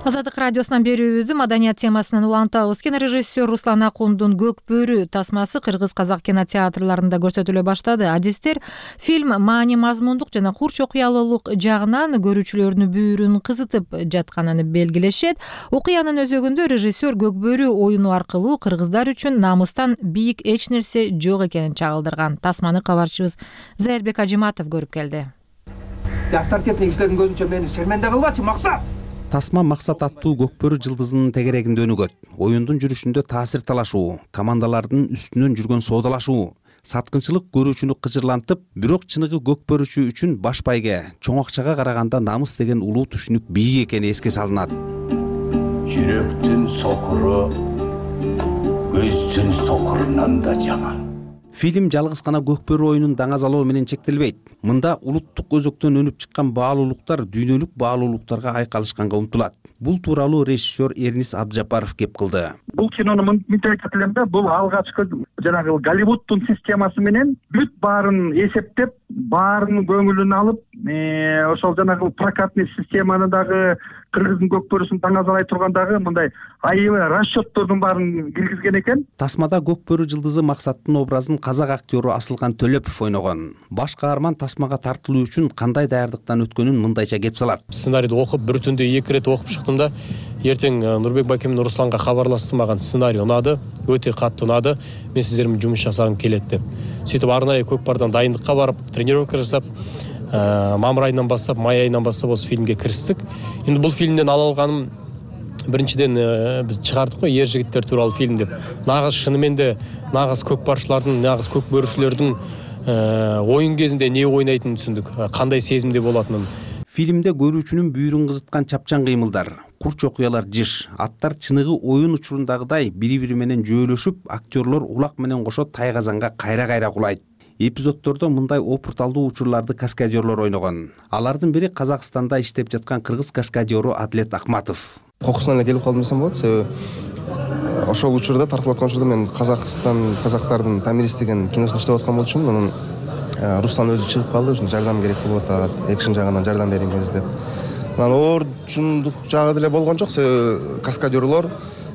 Азаттык радиосунан берүүбүздү маданият темасынан улантабыз. Кинорежиссер Руслан Акундун Көк бөрү тасмасы кыргыз-казак кинотеатрларында көрсөтүлө баштады. Адистер фильм маани мазмундук жана хурч окуялуулук жагынан көрүүчүлөрдүн бүйүрүн кызытып жатканын белгилешет. Окуянын өзөгүндө режиссер Көк бөрү оюну аркылуу кыргыздар үчүн намыстан бийик эч нерсе жок экенин чагылдырган. Тасманы кабарчыбыз Зайырбек Ажиматов көрүп келди. Авторитетный кишилердин көзүнчө мени шерменде кылбачы, максат. Тасма максат аттуу Көк бөрү жылдызынын тегерегинде өнүгөт. Оюндун жүрүшүндө таасир талашуу, командалардын үстүнөн жүргөн соодалашуу, саткынчылык көрүүчүнү кыжырлантып, бирок чыныгы көк бөрүчү үчүн баш байге, чоң акчага караганда намыс деген улуу түшүнүк бийик экени эске салынат. Жүрөктүн сокуру көздүн сокурунан да жаман. Фильм жалгыз гана Көк бөрү оюнун даңазалоо менен чектелбейт. Мында улуттук өзөктөн өнүп чыккан баалуулуктар дүйнөлүк баалуулуктарга айкалышканга умтулат. Бул тууралуу режиссер Эрнис Абджапаров кеп кылды. Бул кинону мынтип айтат элем да, бул алгачкы жанагы Голливудтун системасы менен бүт баарын эсептеп, баарын көңүлүн алып, ошол жанагы прокатный системаны дагы кыргыздын көк бөрүсүн даңазалай тургандагы мындай айыбы расчеттордун баарын киргизген экен. Тасмада Көк бөрү жылдызы Максаттын образын казак актеру Асылкан Төлөпов ойногон. Баш каарман тасмага тартылуу үчүн кандай даярдыктан өткөнүн мындайча кеп салат. Сценарийди окуп, бир түндө эки ирет окуп чыктым да, эртең Нурбек байке менен Русланга кабарлаштым, маган сценарий унады, өтө катты унады, мен сиздер менен жумуш жасагым келет деп. Сөйтүп арнайы Көк бардан дайындыкка барып, тренировка жасап, мамыр айынан баштап, май айынан баштап осы фильмге кириштик. Эми бул фильмден ала алганым биринчиден биз чыгардык го ер жигиттер тууралуу фильм деп. Нагыз шынымен де нагыз көк барчылардын, нагыз көк бөрүчүлөрдүн оюн кезинде не ойнайтынын түшүндүк, кандай сезимде болатынын. Фильмде көрүүчүнүн бүйүрүн кызыткан чапчан кыймылдар, курч окуялар жыш, аттар чыныгы оюн учурундагыдай бири-бири менен жөөлөшүп, актерлор улак менен кошо тайгазанга кайра-кайра кулайт. Эпизоддордо мындай опурталдуу учурларды каскадерлор ойногон. Алардын бири Казакстанда иштеп жаткан кыргыз каскадеру Адлет Ахматов. Кокусунан эле келип калдым десем болот, себеби ошол учурда тартылып аткан учурда мен Казакстан казактардын Тамирис деген киносунда иштеп аткан болчумун. Анан Руслан өзү чыгып калды, ушун жардам керек болуп атат, экшн жагынан жардам бериңиз деп. Анан оорчундук жагы деле болгон жок, себеби каскадерлор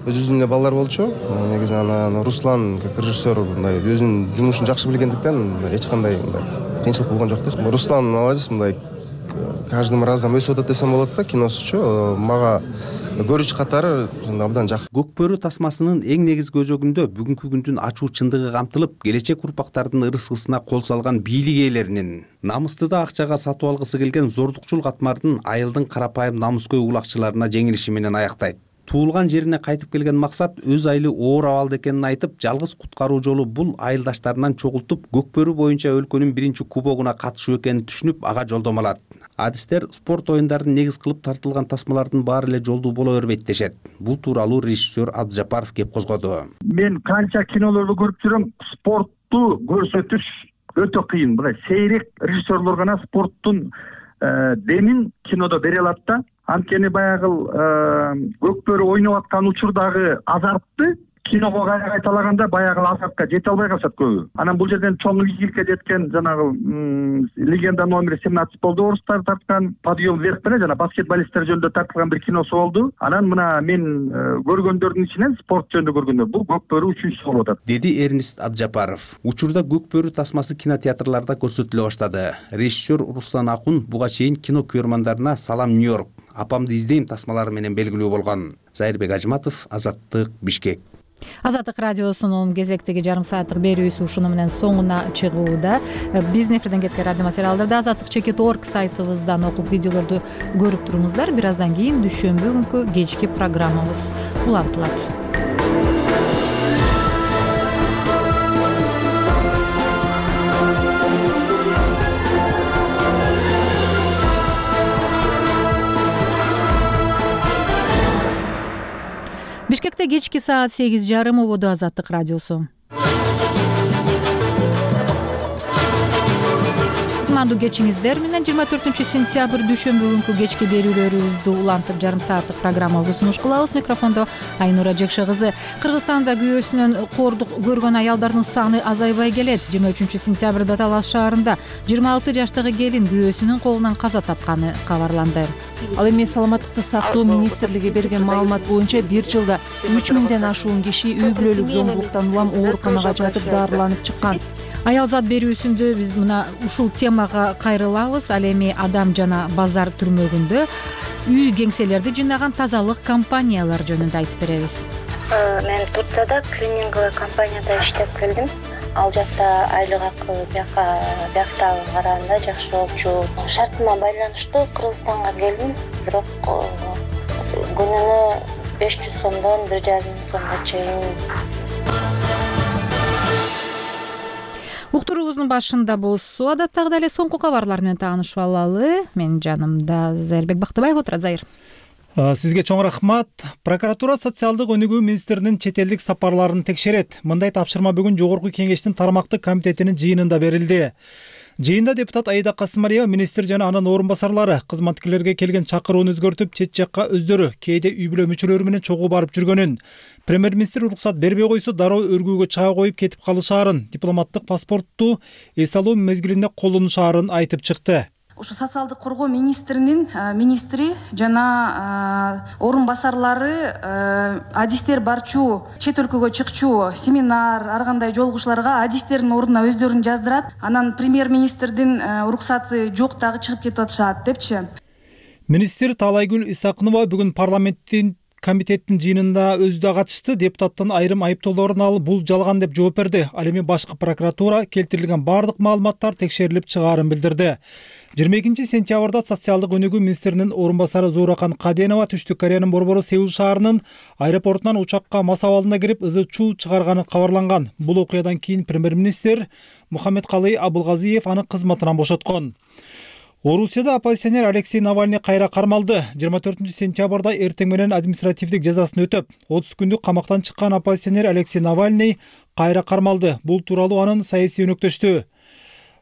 өзүнүн эле балдар болчу. Негизи анан Руслан как режиссер мындай өзүнүн жумушун жакшы билгендиктен эч кандай мындай кыйынчылык болгон жок да. Руслан молодец, мындай каждым разом өсүп атат десем болот да киносучу. Мага көрүүчү катары абдан жакты. Көк бөрү тасмасынын эң негизги өзөгүндө бүгүнкү күндүн ачуу чындыгы камтылып, келечек урпактардын ырыскысына кол салган бийлик ээлеринин, намысты да акчага сатып алгысы келген зордукчул катмардын айылдын карапайым намыскөй улакчыларына жеңилиши менен аяктайт. Туулган жерине кайтып келген Максат өз айылы оор абалда экенин айтып, жалгыз куткаруу жолу бул айылдаштарынан чогултуп, Көк бөрү боюнча өлкөнүн биринчи кубогуна катышуу экенин түшүнүп, ага жолдомо алат. Адистер спорт оюндарын негиз кылып тартылган тасмалардын баары эле жолдуу боло бербейт дешет. Бул тууралуу режиссер Абджапаров кеп козгоду. Мен канча кинолорду көрүп жүрөм, спортту көрсөтүш өтө кыйын. Мындай сейрек режиссерлор гана спорттун демин кинодо бере алат да. Анткени баягы Көк бөрү ойноп аткан учурдагы азартты киного кайра кайталаганда баягы азартка жете албай калышат көбү. Анан бул жерден чоң ийгиликке жеткен жанагы легенда номер семнадцать болду, орустар тарткан, подъем вверх менен жана баскетболисттер жөнүндө тартылган бир киносу болду. Анан мына мен көргөндөрдүн ичинен спорт жөнүндө көргөндө бул Көк бөрү үчүнчүсү болуп атат, деди Эрнис Абджапаров. Учурда Көк бөрү тасмасы кинотеатрларда көрсөтүлө баштады. Режиссер Руслан Акун буга чейин кино көрөрмандарына Салам Нью-Йорк, Апамды издейм тасмалары менен белгилүү болгон. Зайырбек Ажматов, Азаттык, Бишкек. Азаттык радиосунун кезектеги жарым сааттык берүүсү ушуну менен соңуна чыгууда. Биздин эфирден кеткен радио материалдарды азаттык чекит точка орг сайтыбыздан окуп видеолорду көрүп туруңуздар. Бир аздан кийин дүйшөмбү күнкү кечки программабыз улантылат. Бишкекте кечки саат сегиз жарым ободо Азаттык радиосу. Кутмандуу кечиңиздер менен жыйырма төртүнчү сентябрь дүйшөмбү күнкү кечки берүүлөрүбүздү улантып жарым сааттык программабызды сунуш кылабыз. Микрофондо Айнура Жекше кызы. Кыргызстанда күйөөсүнөн кордук көргөн аялдардын саны азайбай келет. жыйырма үчүнчү сентябрда Талас шаарында жыйырма алты жаштагы келин күйөөсүнүн колунан каза тапканы кабарланды. Ал эми саламаттыкты сактоо министрлиги берген маалымат боюнча бир жылда үч миңден ашуун киши үй бүлөлүк зомбулуктан улам ооруканага жатып дарыланып чыккан. Аял зат берүүсүндө биз мына ушул темага кайрылабыз. Ал эми Адам жана Базар түрмөгүндө үй кеңселерди жыйнаган тазалык компаниялар жөнүндө айтып беребиз. Мен Турцияда клининговый компанияда иштеп келдим. Ал жакта айлык акы бияка бияктагы караганда жакшы болчу. Шартыма байланыштуу Кыргызстанга келдим, бирок күнүнө беш жүз сомдон бир жарым миң сомго чейин. Уктуруубуздун башында болсо адаттагыдай эле соңку кабарлар менен таанышып алалы. Менин жанымда Зайырбек Бактыбаев отурат. Зайыр. Сизге чоң рахмат. Прокуратура социалдык өнүгүү министринин чет элдик сапарларын текшерет. Мындай тапшырма бүгүн Жогорку Кеңештин тармактык комитетинин жыйынында берилди. Жыйында депутат Аида Касымалиева, министр жана анын орун басарлары кызматкерлерге келген чакырууну өзгөртүп, чет жакка өздөрү кээде үй бүлө мүчөлөрү менен чогуу барып жүргөнүн, премьер-министр уруксат бербей койсо дароо өргүүгө чыга коюп кетип калышаарын, дипломаттык паспортту эс алуу мезгилинде колдонушаарын айтып чыкты. Ушу социалдык коргоо министринин министри жана орун басарлары адистер барчу, чет өлкөгө чыкчу семинар, ар кандай жолугушууларга адистердин ордуна өздөрүн жаздырат. Анан премьер-министрдин уруксаты жок дагы чыгып кетип атышат депчи. Министр Таалайгүл Исакынова бүгүн парламенттин комитеттин жыйынында өзү да катышты. Депутаттын айрым айыптоолорун алып, бул жалган деп жооп берди. Ал эми башкы прокуратура келтирилген бардык маалыматтар текшерилип чыгаарын билдирди. жыйырма экинчи сентябрда социалдык өнүгүү министринин орун басары Зууракан Каденова Түштүк Кореянын борбору Сеул шаарынын аэропортунан учакка мас абалында кирип ызы чуу чыгарганы кабарланган. Бул окуядан кийин премьер-министр Мухаммедкалый Абылгазиев аны кызматынан бошоткон. Орусияда оппозиционер Алексей Навальный кайра кармалды. жыйырма төртүнчү сентябрда эртең менен административдик жазасын өтөп, отуз күндүк камактан чыккан оппозиционер Алексей Навальный кайра кармалды. Бул тууралуу анын саясий өнөктөштү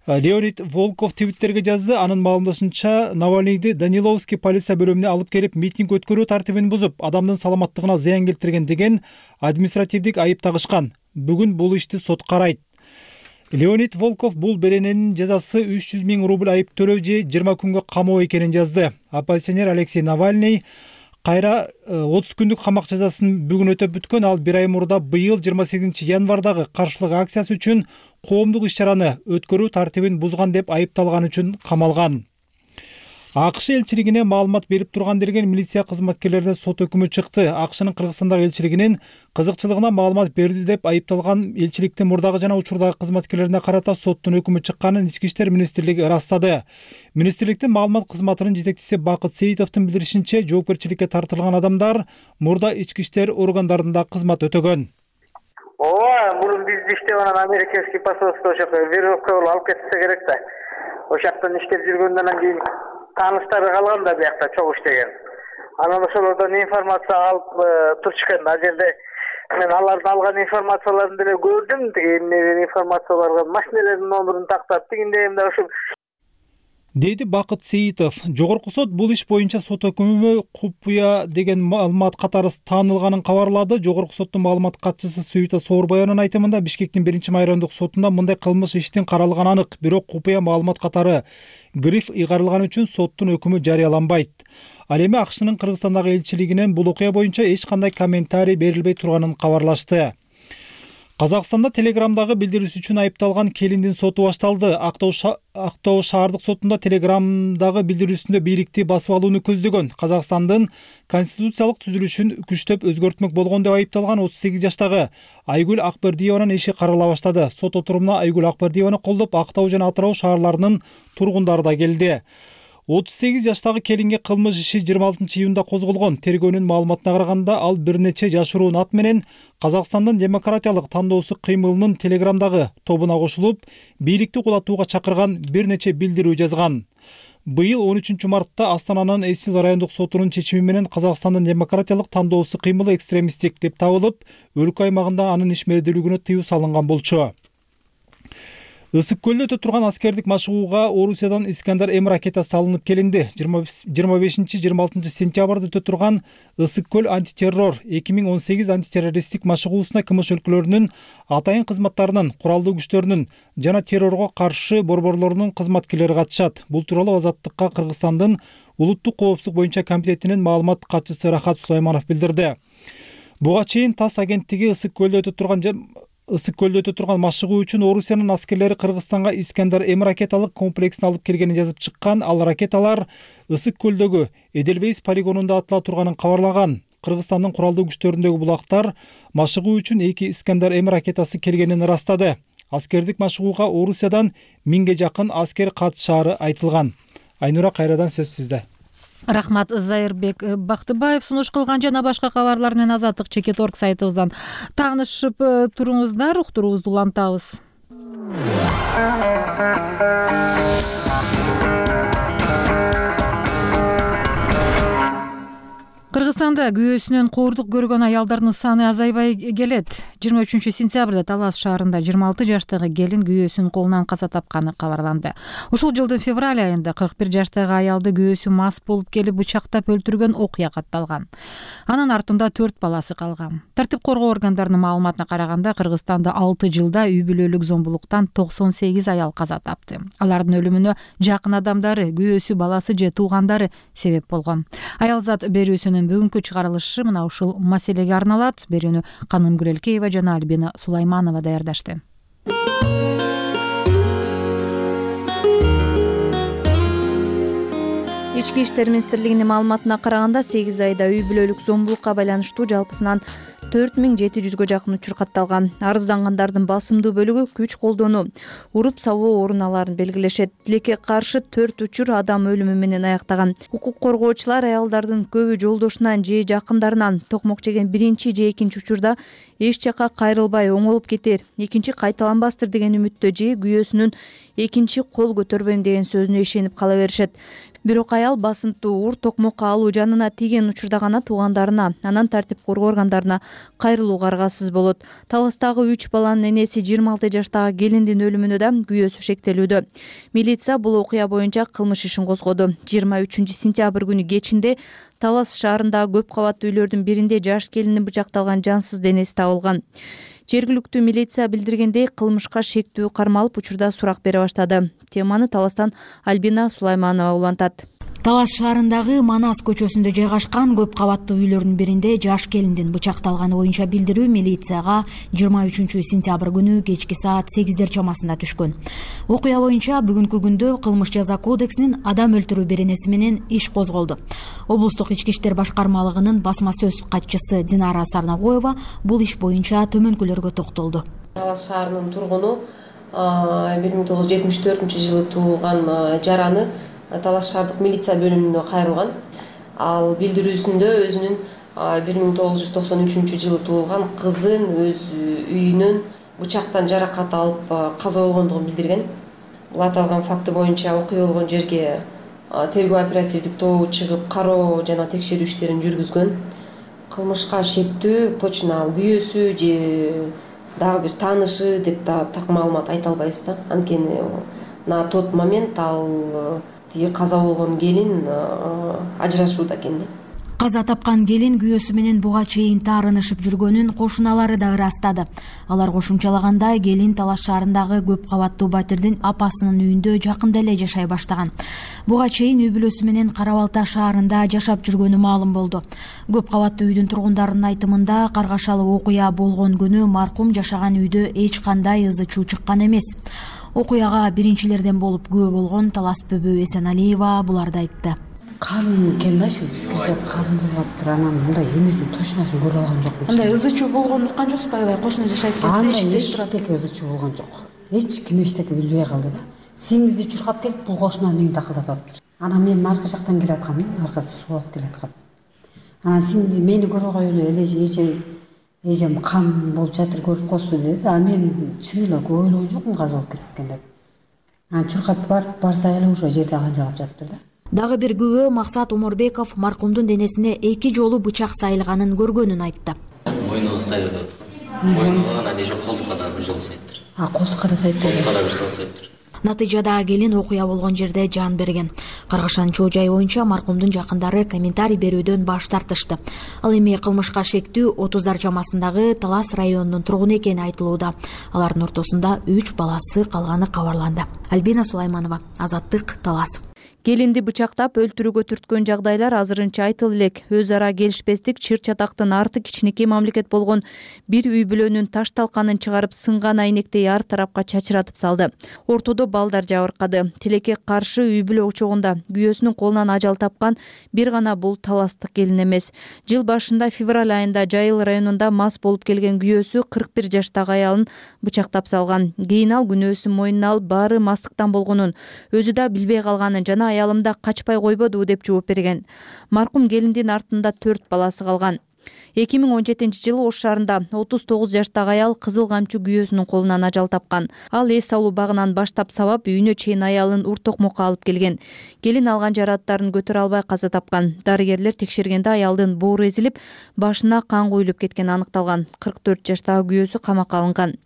Леонид Волков твиттерге жазды. Анын маалымдашынча, Навальныйды Даниловский полиция бөлүмүнө алып келип митинг өткөрүү тартибин бузуп, адамдын саламаттыгына зыян келтирген деген административдик айып тагышкан. Бүгүн бул ишти сот карайт. Леонид Волков бул берененин жазасы үч жүз миң рубль айып төлөө же жыйырма күнгө камоо экенин жазды. Оппозиционер Алексей Навальный кайра отуз күндүк камак жазасын бүгүн өтөп бүткөн. Ал бир ай мурда быйыл жыйырма сегизинчи январдагы каршылык акциясы үчүн коомдук иш-чараны өткөрүү тартибин бузган деп айыпталган үчүн камалган. АКШ элчилигине маалымат берип турган делген милиция кызматкерлерине сот өкүмү чыкты. АКШнын Кыргызстандагы элчилигинин кызыкчылыгына маалымат берди деп айыпталган элчиликтин мурдагы жана учурдагы кызматкерлерине карата соттун өкүмү чыкканын Ички иштер министрлиги ырастады. Министрликтин маалымат кызматынын жетекчиси Бакыт Сейитовдун билдиришинче, жоопкерчиликке тартылган адамдар мурда ички иштер органдарында кызмат өтөгөн. Ооба, бул бизде иштеп анан американский посольство ошо веревка болуп алып кетсе керек да. Ошактан иштеп жүргөндөн кийин тааныштары калган да биякта чогуу иштеген. Анан ошолордон информация алып турчукен. Ал жерде мен алардын алган информацияларын деле көрдүм. Тиги информацияларга машиналардын номерин тактап тигиндейимде ошо деди Бакыт Сейитов. Жогорку сот бул иш боюнча сот өкүмү купуя деген маалымат катары таанылганын кабарлады. Жогорку соттун маалымат катчысы Суйта Соорбаеванын айтымында Бишкектин биринчи майрамдык сотунда мындай кылмыш иштин каралганы анык, бирок купуя маалымат катары гриф ыйгарылган үчүн соттун өкүмү жарыяланбайт. Ал эми АКШнын Кыргызстандагы элчилигинен бул окуя боюнча эч кандай комментарий берилбей турганын кабарлашты. Казакстанда телеграмдагы билдирүүсү үчүн айыпталган келиндин соту башталды. Актоо шаардык сотунда телеграмдагы билдирүүсүндө бийликти басып алууну көздөгөн Казакстандын конституциялык түзүлүшүн күчтөп өзгөртмөк болгон деп айыпталган отуз сегиз жаштагы Айгүл Акбердиеванын иши карала баштады. Сот отурумуна Айгүл Акбердиеваны колдоп Актау жана Атырау шаарларынын тургундары да келди. отуз сегиз жаштагы келинге кылмыш иши жыйырма алтынчы июнда козголгон. Тергөөнүн маалыматына караганда, ал бир нече жашыруун ат менен Казакстандын демократиялык тандоосу кыймылынын телеграмдагы тобуна кошулуп, бийликти кулатууга чакырган бир нече билдирүү жазган. Быйыл он үчүнчү мартта Астананын Эсил райондук сотунун чечими менен Казакстандын демократиялык тандоосу кыймылы экстремисттик деп табылып, өлкө аймагында анын ишмердүүлүгүнө тыюу салынган болчу. Ысык көлдө өтө турган аскердик машыгууга Орусиядан Искандер М ракетасы салынып келинди. жыйырма бешинчи жыйырма алтынчы сентябрда өтө турган Ысык көл антитеррор эки миң он сегиз антитеррористтик машыгуусуна КМШ өлкөлөрүнүн атайын кызматтарынын, куралдуу күчтөрүнүн жана террорго каршы борборлорунун кызматкерлери катышат. Бул тууралуу Азаттыкка Кыргызстандын улуттук коопсуздук боюнча комитетинин маалымат катчысы Рахат Сулайманов билдирди. Буга чейин ТАСС агенттиги Ысык көлдө өтө турган Ысык көлдө өтө турган машыгуу үчүн Орусиянын аскерлери Кыргызстанга Искандер М ракеталык комплексин алып келгенин жазып чыккан. Ал ракеталар Ысык көлдөгү Эделвейс полигонунда атыла турганын кабарлаган. Кыргызстандын куралдуу күчтөрүндөгү булактар машыгуу үчүн эки Искандер М ракетасы келгенин ырастады. Аскердик машыгууга Орусиядан миңге жакын аскер катышаары айтылган. Айнура, кайрадан сөз сизде. Рахмат, Зайырбек Бактыбаев сунуш кылган жана башка кабарлар менен Азаттык чекит точка орг сайтыбыздан таанышып туруңуздар. Уктуруубузду улантабыз. Кыргызстанда күйөөсүнөн коордук көргөн аялдардын саны азайбай келет. жыйырма үчүнчү сентябрда Талас шаарында жыйырма алты жаштагы келин күйөөсүнүн колунан каза тапканы кабарланды. Ушул жылдын февраль айында кырк бир жаштагы аялды күйөөсү мас болуп келип бычактап өлтүргөн окуя катталган. Анын артында төрт баласы калган. Тартип коргоо органдарынын маалыматына караганда, Кыргызстанда алты жылда үй бүлөлүк зомбулуктан токсон сегиз аял каза тапты. Алардын өлүмүнө жакын адамдары, күйөөсү, баласы же туугандары себеп болгон. Аялзат берүүсүнүн бүгүнкү чыгарылышы мына ушул маселеге арналат. Берүүнү Каным Гүрелкеева жана Альбина Сулайманова даярдашты. Ички иштер министрлигинин маалыматына караганда, сегиз айда үй бүлөлүк зомбулукка байланыштуу жалпысынан төрт миң жети жүзгө жакын учур катталган. Арыздангандардын басымдуу бөлүгү күч колдонуу, уруп сабоо орун белгилешет. Тилекке каршы төрт учур адам өлүмү менен аяктаган. Укук коргоочулар аялдардын көбү жолдошунан же жакындарынан токмок жеген биринчи же экинчи учурда эч жака кайрылбай оңолуп кетер, экинчи кайталанбастыр деген үмүттө же күйөөсүнүн экинчи кол көтөрбөйм деген сөзүнө ишенип кала беришет. Бирок аял басынтуу ур токмокко алуу жанына тийген учурда гана туугандарына, анан тартип коргоо органдарына кайрылууга аргасыз болот. Таластагы үч баланын энеси жыйырма алты жаштагы келиндин өлүмүнө да күйөөсү шектелүүдө. Милиция бул окуя боюнча кылмыш ишин козгоду. жыйырма үчүнчү сентябрь күнү кечинде Талас шаарындагы көп кабаттуу үйлөрдүн биринде жаш келиндин бычакталган жансыз денеси табылган. Жергиликтүү милиция билдиргендей, кылмышка шектүү кармалып учурда сурак бере баштады. Теманы Таластан Альбина Сулайманова улантат. Талас шаарындагы Манас көчөсүндө жайгашкан көп кабаттуу үйлөрдүн биринде жаш келиндин бычакталганы боюнча билдирүү милицияга жыйырма үчүнчү сентябрь күнү кечки саат сегиздер чамасында түшкөн. Окуя боюнча бүгүнкү күндө кылмыш жаза кодексинин адам өлтүрүү беренеси менен иш козголду. Облустук ички иштер башкармалыгынын басма сөз катчысы Динара Сарнагоева бул иш боюнча төмөнкүлөргө токтолду. Талас шаарынын тургуну бир миң тогуз жүз жетимиш төртүнчү жылы туулган жараны Талас шаардык милиция бөлүмүнө кайрылган. Ал билдирүүсүндө өзүнүн бир миң тогуз жүз токсон үчүнчү жылы туулган кызын өз үйүнөн бычактан жаракат алып каза болгондугун билдирген. Бул аталган факты боюнча окуя болгон жерге тергөө оперативдик тобу чыгып кароо жана текшерүү иштерин жүргүзгөн. Кылмышка шектүү точно ал күйөөсү же дагы бир таанышы деп да так маалымат айта албайбыз да. Анткени на тот момент ал тиги каза болгон келин ажырашууда экен. Каза тапкан келин күйөөсү менен буга чейин таарынышып жүргөнүн кошуналары да ырастады. Алар кошумчалагандай келин Талас шаарындагы көп кабаттуу батирдин апасынын үйүндө жакында эле жашай баштаган. Буга чейин үй бүлөсү менен Кара Балта шаарында жашап жүргөнү маалым болду. Көп кабаттуу үйдүн тургундарынын айтымында каргашалуу окуя болгон күнү маркум жашаган үйдө эч кандай ызы чуу чыккан эмес. Окуяга биринчилерден болуп күбө болгон Талас Бөбө Эсеналиева буларды айтты. Кан экен да, иши биз кирсек кан болуптур, анан мындай эмесин точносын көрө алган жокмун. Андай ызы чуу болгонун уккан жоксуз, аябай кошуна жашайт экен. Андай эчтеке ызы чуу болгон жок. Эч ким эчтеке билбей калды да. Сиңизи чуркап келип бул кошунанын үйүндө акылдатыптыр. Анан мен наркы жактан келе аткам, наркы суу алып келе аткам. Анан сиңизи мени көрө коелу эле эже эжем кан болуп жатыр көрүп коесузбу деди. А мен чын эле көп ойлогон жокмун каза болуп кетип экен деп. Анан чуркап барып барса эле ошо жерде канжагап жатыптыр да. Дагы бир күбө Максат Оморбеков маркумдун денесине эки жолу бычак сайылганын көргөнүн айтты. Мойнуна сайып атат. Мойнуна анан эже колдукка да бир жолу сайыптыр. А колдукка да сайып колдукка да бир жолу сайыптыр. Натыйжада келин окуя болгон жерде жан берген. Каргашан чоо жай боюнча маркумдун жакындары комментарий берүүдөн баш тартышты. Ал эми кылмышка шектүү отуздар чамасындагы Талас районунун тургуну экени айтылууда. Алардын ортосунда үч баласы калганы кабарланды. Альбина Сулайманова, Азаттык, Талас. Келинди бычактап өлтүрүүгө түрткөн жагдайлар азырынча айтылып элек. Өз ара келишпестик чыр чатактын арты кичинекей мамлекет болгон бир үй бүлөнүн таш талканын чыгарып сынган айнектей ар тарапка чачыратып салды. Ортодо балдар жабыркады. Тилекке каршы үй бүлө учогунда күйөөсүнүн колунан ажал тапкан бир гана бул таластык келин эмес. Жыл башында февраль айында Жайыл районунда мас болуп келген күйөөсү кырк бир жаштагы аялын бычактап салган. Кийин ал күнөөсүн мойнуна алып баары мастыктан болгонун, өзү да билбей калганын жана аялымда качпай койбоду деп жооп берген. Маркум келиндин артында төрт баласы калган. эки миң он жетинчи жылы Ош шаарында отуз тогуз жаштагы аял кызыл камчы күйөөсүнүн колунан ажал тапкан. Ал эс алуу багынан баштап сабап үйүнө чейин аялын ур токмокко алып келген. Келин алган жарааттарын көтөрө албай каза тапкан. Дарыгерлер текшергенде аялдын боору эзилип, башына кан куюлуп кеткени аныкталган. кырк төрт жаштагы күйөөсү камакка алынган.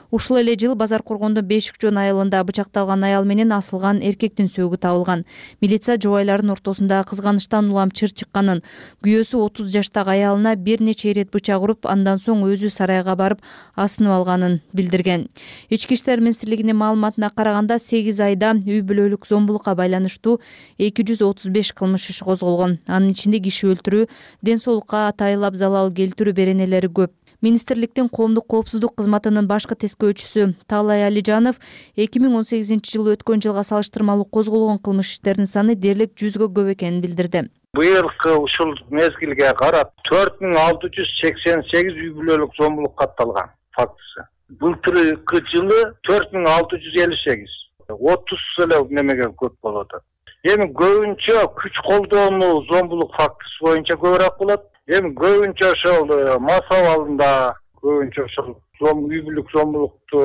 Ушул эле жыл Базар Коргондун Бешикчон айылында бычакталган аял менен асылган эркектин сөөгү табылган. Милиция жубайлардын ортосунда кызганыштан улам чыр чыкканын, күйөөсү отуз жаштагы аялына бир нече ирет бычак уруп, андан соң өзү сарайга барып асынып алганын билдирген. Ички иштер министрлигинин маалыматына караганда сегиз айда үй бүлөлүк зомбулукка байланыштуу эки жүз отуз беш кылмыш иши козголгон. Анын ичинде киши өлтүрүү, ден соолукка атайылап залал келтирүү беренелери көп. Министрликтин коомдук коопсуздук кызматынын башкы тескөөчүсү Таалай Алижанов эки миң он сегизинчи жылы өткөн жылга салыштырмалуу козголгон кылмыш иштердин саны дээрлик жүзгө көп экенин билдирди. Быйылкы ушул мезгилге карап төрт миң алты жүз сексен сегиз үй бүлөлүк зомбулук катталган фактысы. Былтыркы жылы төрт миң алты жүз элүү сегиз. отуз эле немеге көп болуп атат. Эми көбүнчө күч колдонуу зомбулук фактысы боюнча көбүрөөк болот. Эми көбүнчө ошол мас абалында көбүнчө ошол үй бүлөлүк зомбулукту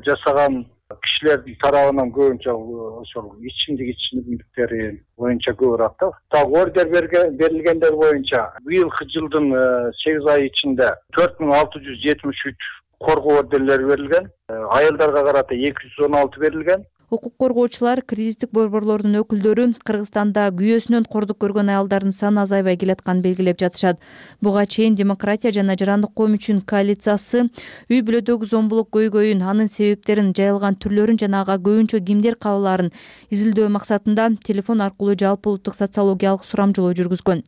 жасаган кишилердин тарабынан көбүнчө ошол ичимдик ичимдиктери боюнча көбүрөөк да. Так ордер берилгендер боюнча быйылкы жылдын сегиз ай ичинде төрт миң алты жүз жетимиш үч коргоо ордерлери берилген. Аялдарга карата эки жүз он алты берилген. Укук коргоочулар, кризистик борборлордун өкүлдөрү Кыргызстанда күйөөсүнөн кордук көргөн аялдардын саны азайбай келатканын белгилеп жатышат. Буга чейин Демократия жана Жарандык коом үчүн коалициясы үй бүлөдөгү зомбулук көйгөйүн, анын себептерин, жайылган түрлөрүн жана ага көбүнчө кимдер кабылаарын изилдөө максатында телефон аркылуу жалпы улуттук социологиялык сурамжылоо жүргүзгөн.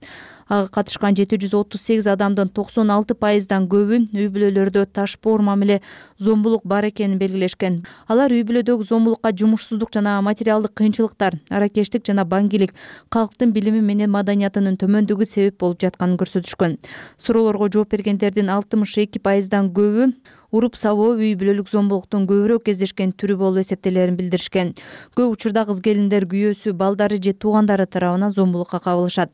Ага катышкан жети жүз отуз сегиз адамдын токсон алты пайыздан көбү үй бүлөлөрдө ташпоор мамиле зомбулук бар экенин белгилешкен. Алар үй бүлөдөгү зомбулукка жумушсуздук жана материалдык кыйынчылыктар, аракештик жана баңгилик, калктын билими менен маданиятынын төмөндүгү себеп болуп жатканын көрсөтүшкөн. Суроолорго жооп бергендердин алтымыш эки пайыздан көбү уруп сабоо үй бүлөлүк зомбулуктун көбүрөөк кездешкен түрү болуп эсептелерин билдиришкен. Көп учурда кыз келиндер күйөөсү, балдары же туугандары тарабынан зомбулукка кабылышат.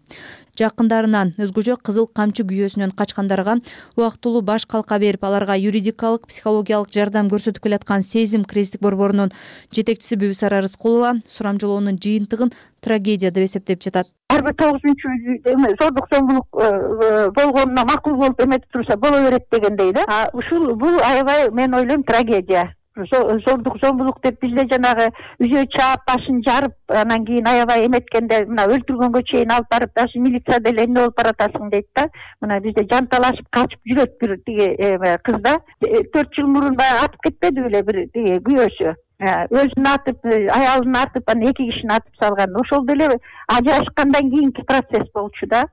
Жакындарынан, өзгөчө кызыл камчы күйөөсүнөн качкандарга убактылуу баш калка берип, аларга юридикалык, психологиялык жардам көрсөтүп келаткан Сезим кризистик борборунун жетекчиси Бүбүсара Рыскулова сурамжылоонун жыйынтыгын трагедия деп эсептеп жатат. Ар бир тогузунчу зордук зомбулук болгонуна макул болуп эметип турса боло берет дегендей да. Ушул бул аябай мен ойлойм трагедия. зордук зомбулук деп бизде жанагы үзө чаап башын жарып анан кийин аябай эметкенде мына өлтүргөнгө чейин алып барып даже милиция деле эмне болуп баратасың дейт да. Мына бизде жанталашып качып жүрөт бир тиги кыз да. төрт жыл мурун баягы атып кетпеди беле бир тиги күйөөсү. Өзүн атып, аялын атып, анан эки кишини атып салган. Ошол деле ажырашкандан кийинки процесс болчу да.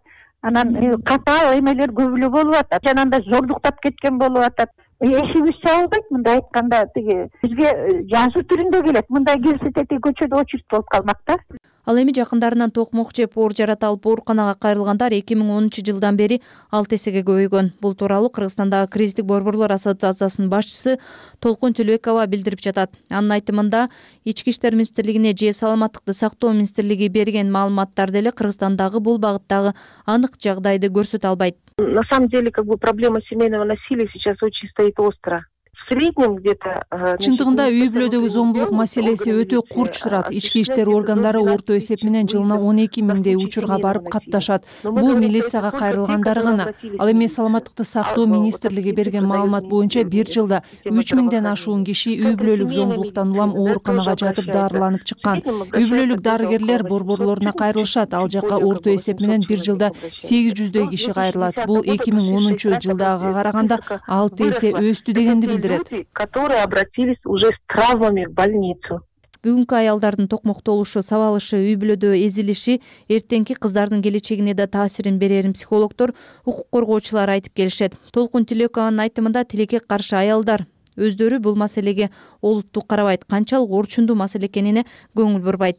Анан катаал эмелер көп эле болуп атат. Жанагындай зордуктап кеткен болуп атат. Эшибиз чабылбайт мындай айтканда, тиги бизге жазуу түрүндө келет. Мындай келсе тети көчөдө очередь болуп калмак да. Ал эми жакындарынан токмок жеп оор жарата алып ооруканага кайрылгандар эки миң онунчу жылдан бери алты эсеге көбөйгөн. Бул тууралуу Кыргызстандагы кризистик борборлор ассоциациясынын башчысы Толкун Төлөбекова билдирип жатат. Анын айтымында, Ички иштер министрлигине же Саламаттыкты сактоо министрлиги берген маалыматтар деле Кыргызстандагы бул багыттагы анык жагдайды көрсөтө албайт. На самом деле, как бы проблема семейного насилия сейчас очень стоит остро. В среднем где-то чындыгында үй бүлөдөгү зомбулук маселеси өтө курч турат. Ички иштер органдары орто эсеп менен жылына он эки миңдей учурга барып катташат. Бул милицияга кайрылгандары гана. Ал эми Саламаттыкты сактоо министрлиги берген маалымат боюнча бир жылда үч миңден ашуун киши үй бүлөлүк зомбулуктан улам ооруканага жатып дарыланып чыккан. Үй бүлөлүк дарыгерлер борборлоруна кайрылышат. Ал жака орто эсеп менен бир жылда сегиз жүздөй киши кайрылат. Бул эки миң онунчу жылдагыга караганда алты эсе өстү дегенди билдирет. Которые обратились уже с травмами в больницу. Бүгүнкү аялдардын токмоктолушу, сабалышы, үй бүлөдө эзилиши эртеңки кыздардын келечегине да таасирин берерин психологдор, укук коргоочулар айтып келишет. Толкун Төлөбекованын айтымында тилекке каршы аялдар өздөрү бул маселеге олуттуу карабайт, канчалык орчундуу маселе экенине көңүл бурбайт.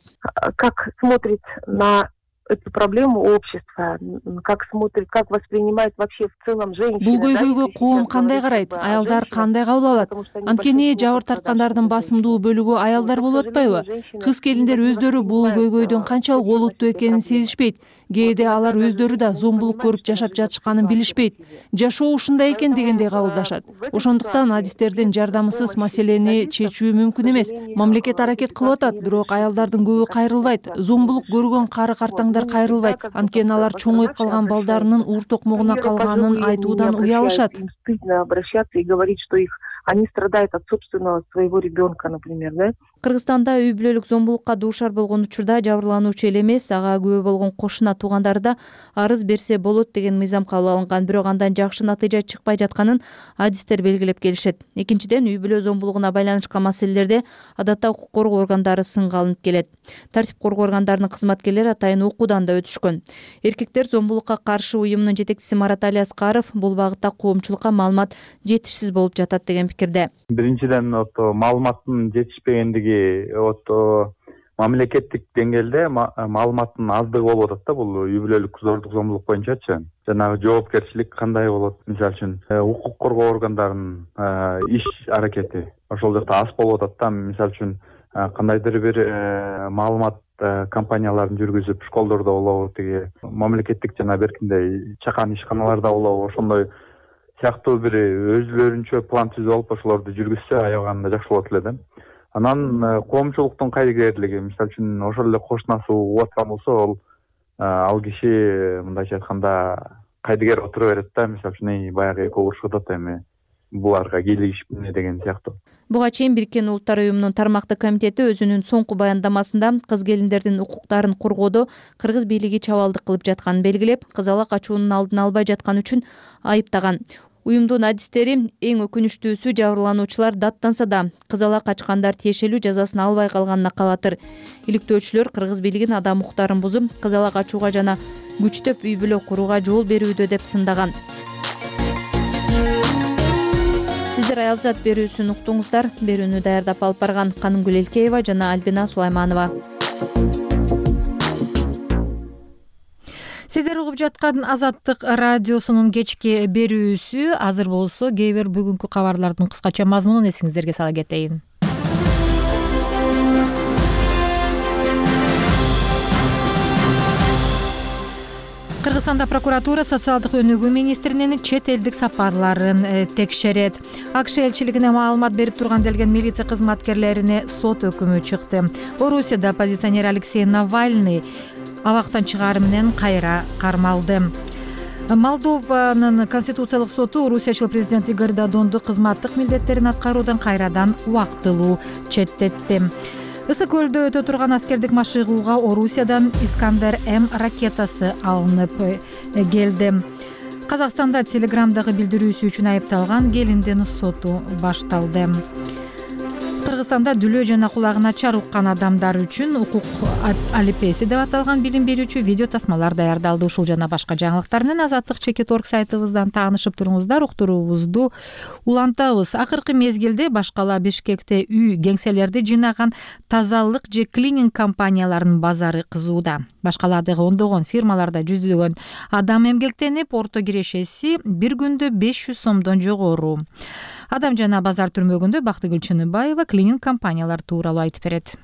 Как смотрит на эту проблему общества, как смотрит, как воспринимает вообще в целом женщины. Бул көйгөйгө коом кандай карайт, аялдар кандай кабыл алат? Анткени жабыр тарткандардын басымдуу бөлүгү аялдар болуп атпайбы? Кыз келиндер өздөрү бул көйгөйдүн канчалык олуттуу экенин сезишпейт. Кээде алар өздөрү да зомбулук көрүп жашап жатышканын билишпейт. Жашоо ушундай экен дегендей кабылдашат. Ошондуктан адистердин жардамысыз маселени чечүү мүмкүн эмес. Мамлекет аракет кылып атат, бирок аялдардын көбү кайрылбайт. Зомбулук көргөн кары картаңдар кайрылбайт. Анткени алар чоңоюп калган балдарынын ур токмогуна калганын айтуудан уялышат. Стыдно обращаться и говорить, что их они страдают от собственного своего ребенка, например, да? Кыргызстанда үй бүлөлүк зомбулукка дуушар болгон учурда жабырлануучу эле эмес, ага күбө болгон кошуна туугандары да арыз берсе болот деген мыйзам кабыл алынган. Бирок андан жакшы натыйжа чыкпай жатканын адистер белгилеп келишет. Экинчиден, үй бүлө зомбулугуна байланышкан маселелерде адатта укук коргоо органдары сынга алынып келет. Тартип коргоо органдарынын кызматкерлери атайын окуудан да өтүшкөн. Эркектер зомбулукка каршы уюмунун жетекчиси Марат Али Аскаров бул багытта коомчулукка маалымат жетишсиз болуп жатат деген пикирде. Биринчиден маалыматтын жетишпегендиги мамлекеттик деңгээлде маалыматтын аздыгы болуп атат да, бул үй бүлөлүк зордук зомбулук боюнчачы. Жанагы жоопкерчилик кандай болот? Мисалы үчүн укук коргоо органдарынын иш аракети ошол жакта аз болуп атат да. Мисалы үчүн кандайдыр бир маалымат компанияларын жүргүзүп, школдордо болобу, тиги мамлекеттик жана беркиндей чакан ишканаларда болобу, ошондой сыяктуу бир өзүлөрүнчө план түзүп алып ошолорду жүргүзсө аябаганда жакшы болот эле да. Анан коомчулуктун кайдыгерлиги, мисалы үчүн ошол эле кошунасы угуп аткан болсо, ал ал киши мындайча айтканда кайдыгер отура берет да. Мисалы үчүн баягы экөө урушуп атат, эми буларга кийлигишпи деген сыяктуу. Буга чейин Бириккен Улуттар уюмунун тармактык комитети өзүнүн соңку баяндамасында кыз келиндердин укуктарын коргоодо кыргыз бийлиги чабалдык кылып жатканын белгилеп, кызала качуунун алдын албай жатканы үчүн айыптаган. Уюмдун адистери эң өкүнүчтүүсү жабырлануучулар даттанса да кызала качкандар тиешелүү жазасын албай калганына кабатыр. Иликтөөчүлөр кыргыз бийлигин адам укуктарын бузуп, кызала качууга жана күчтөп үй бүлө курууга жол берүүдө деп сындаган. Сиздер аялзат берүүсүн уктуңуздар. Берүүнү даярдап алып барган Канымгүл Элкеева жана Альбина Сулайманова. Сиздер угуп жаткан Азаттык радиосунун кечки берүүсү. Азыр болсо кээ бир бүгүнкү кабарлардын кыскача мазмунун эсиңиздерге сала кетейин. Кыргызстанда прокуратура социалдык өнүгүү министринин чет элдик сапарларын текшерет. АКШ элчилигине маалымат берип турган делген милиция кызматкерлерине сот өкүмү чыкты. Орусияда оппозиционер Алексей Навальный абактан чыгаары менен кайра кармалды. Молдованын конституциялык соту орусиячыл президент Игорь Додонду кызматтык милдеттерин аткаруудан кайрадан убактылуу четтетти. Ысык көлдө өтө турган аскердик машыгууга Орусиядан Искандер М ракетасы алынып келди. Казакстанда Телеграмдагы билдирүүсү үчүн айыпталган келиндин соту башталды. Кыргызстанда дүлөө жана кулагына чар уккан адамдар үчүн укук алипеси деп аталган билим берүүчү видео тасмалар даярдалды. Ушул жана башка жаңылыктар менен азаттык чекит орг сайтыбыздан таанышып туруңуздар. Уктуруубузду улантабыз. Акыркы мезгилде башкала Бишкекте үй кеңселерди жыйнаган тазалык же клининг компанияларынын базары кызууда. Башкаладагы ондогон фирмаларда жүздөгөн адам эмгектенип, орто кирешеси бир күндө беш жүз сомдон жогору. Адам жана базар түрмөгүндө Бактыгүл Чыныбаева клининг компаниялар тууралуу айтып берет.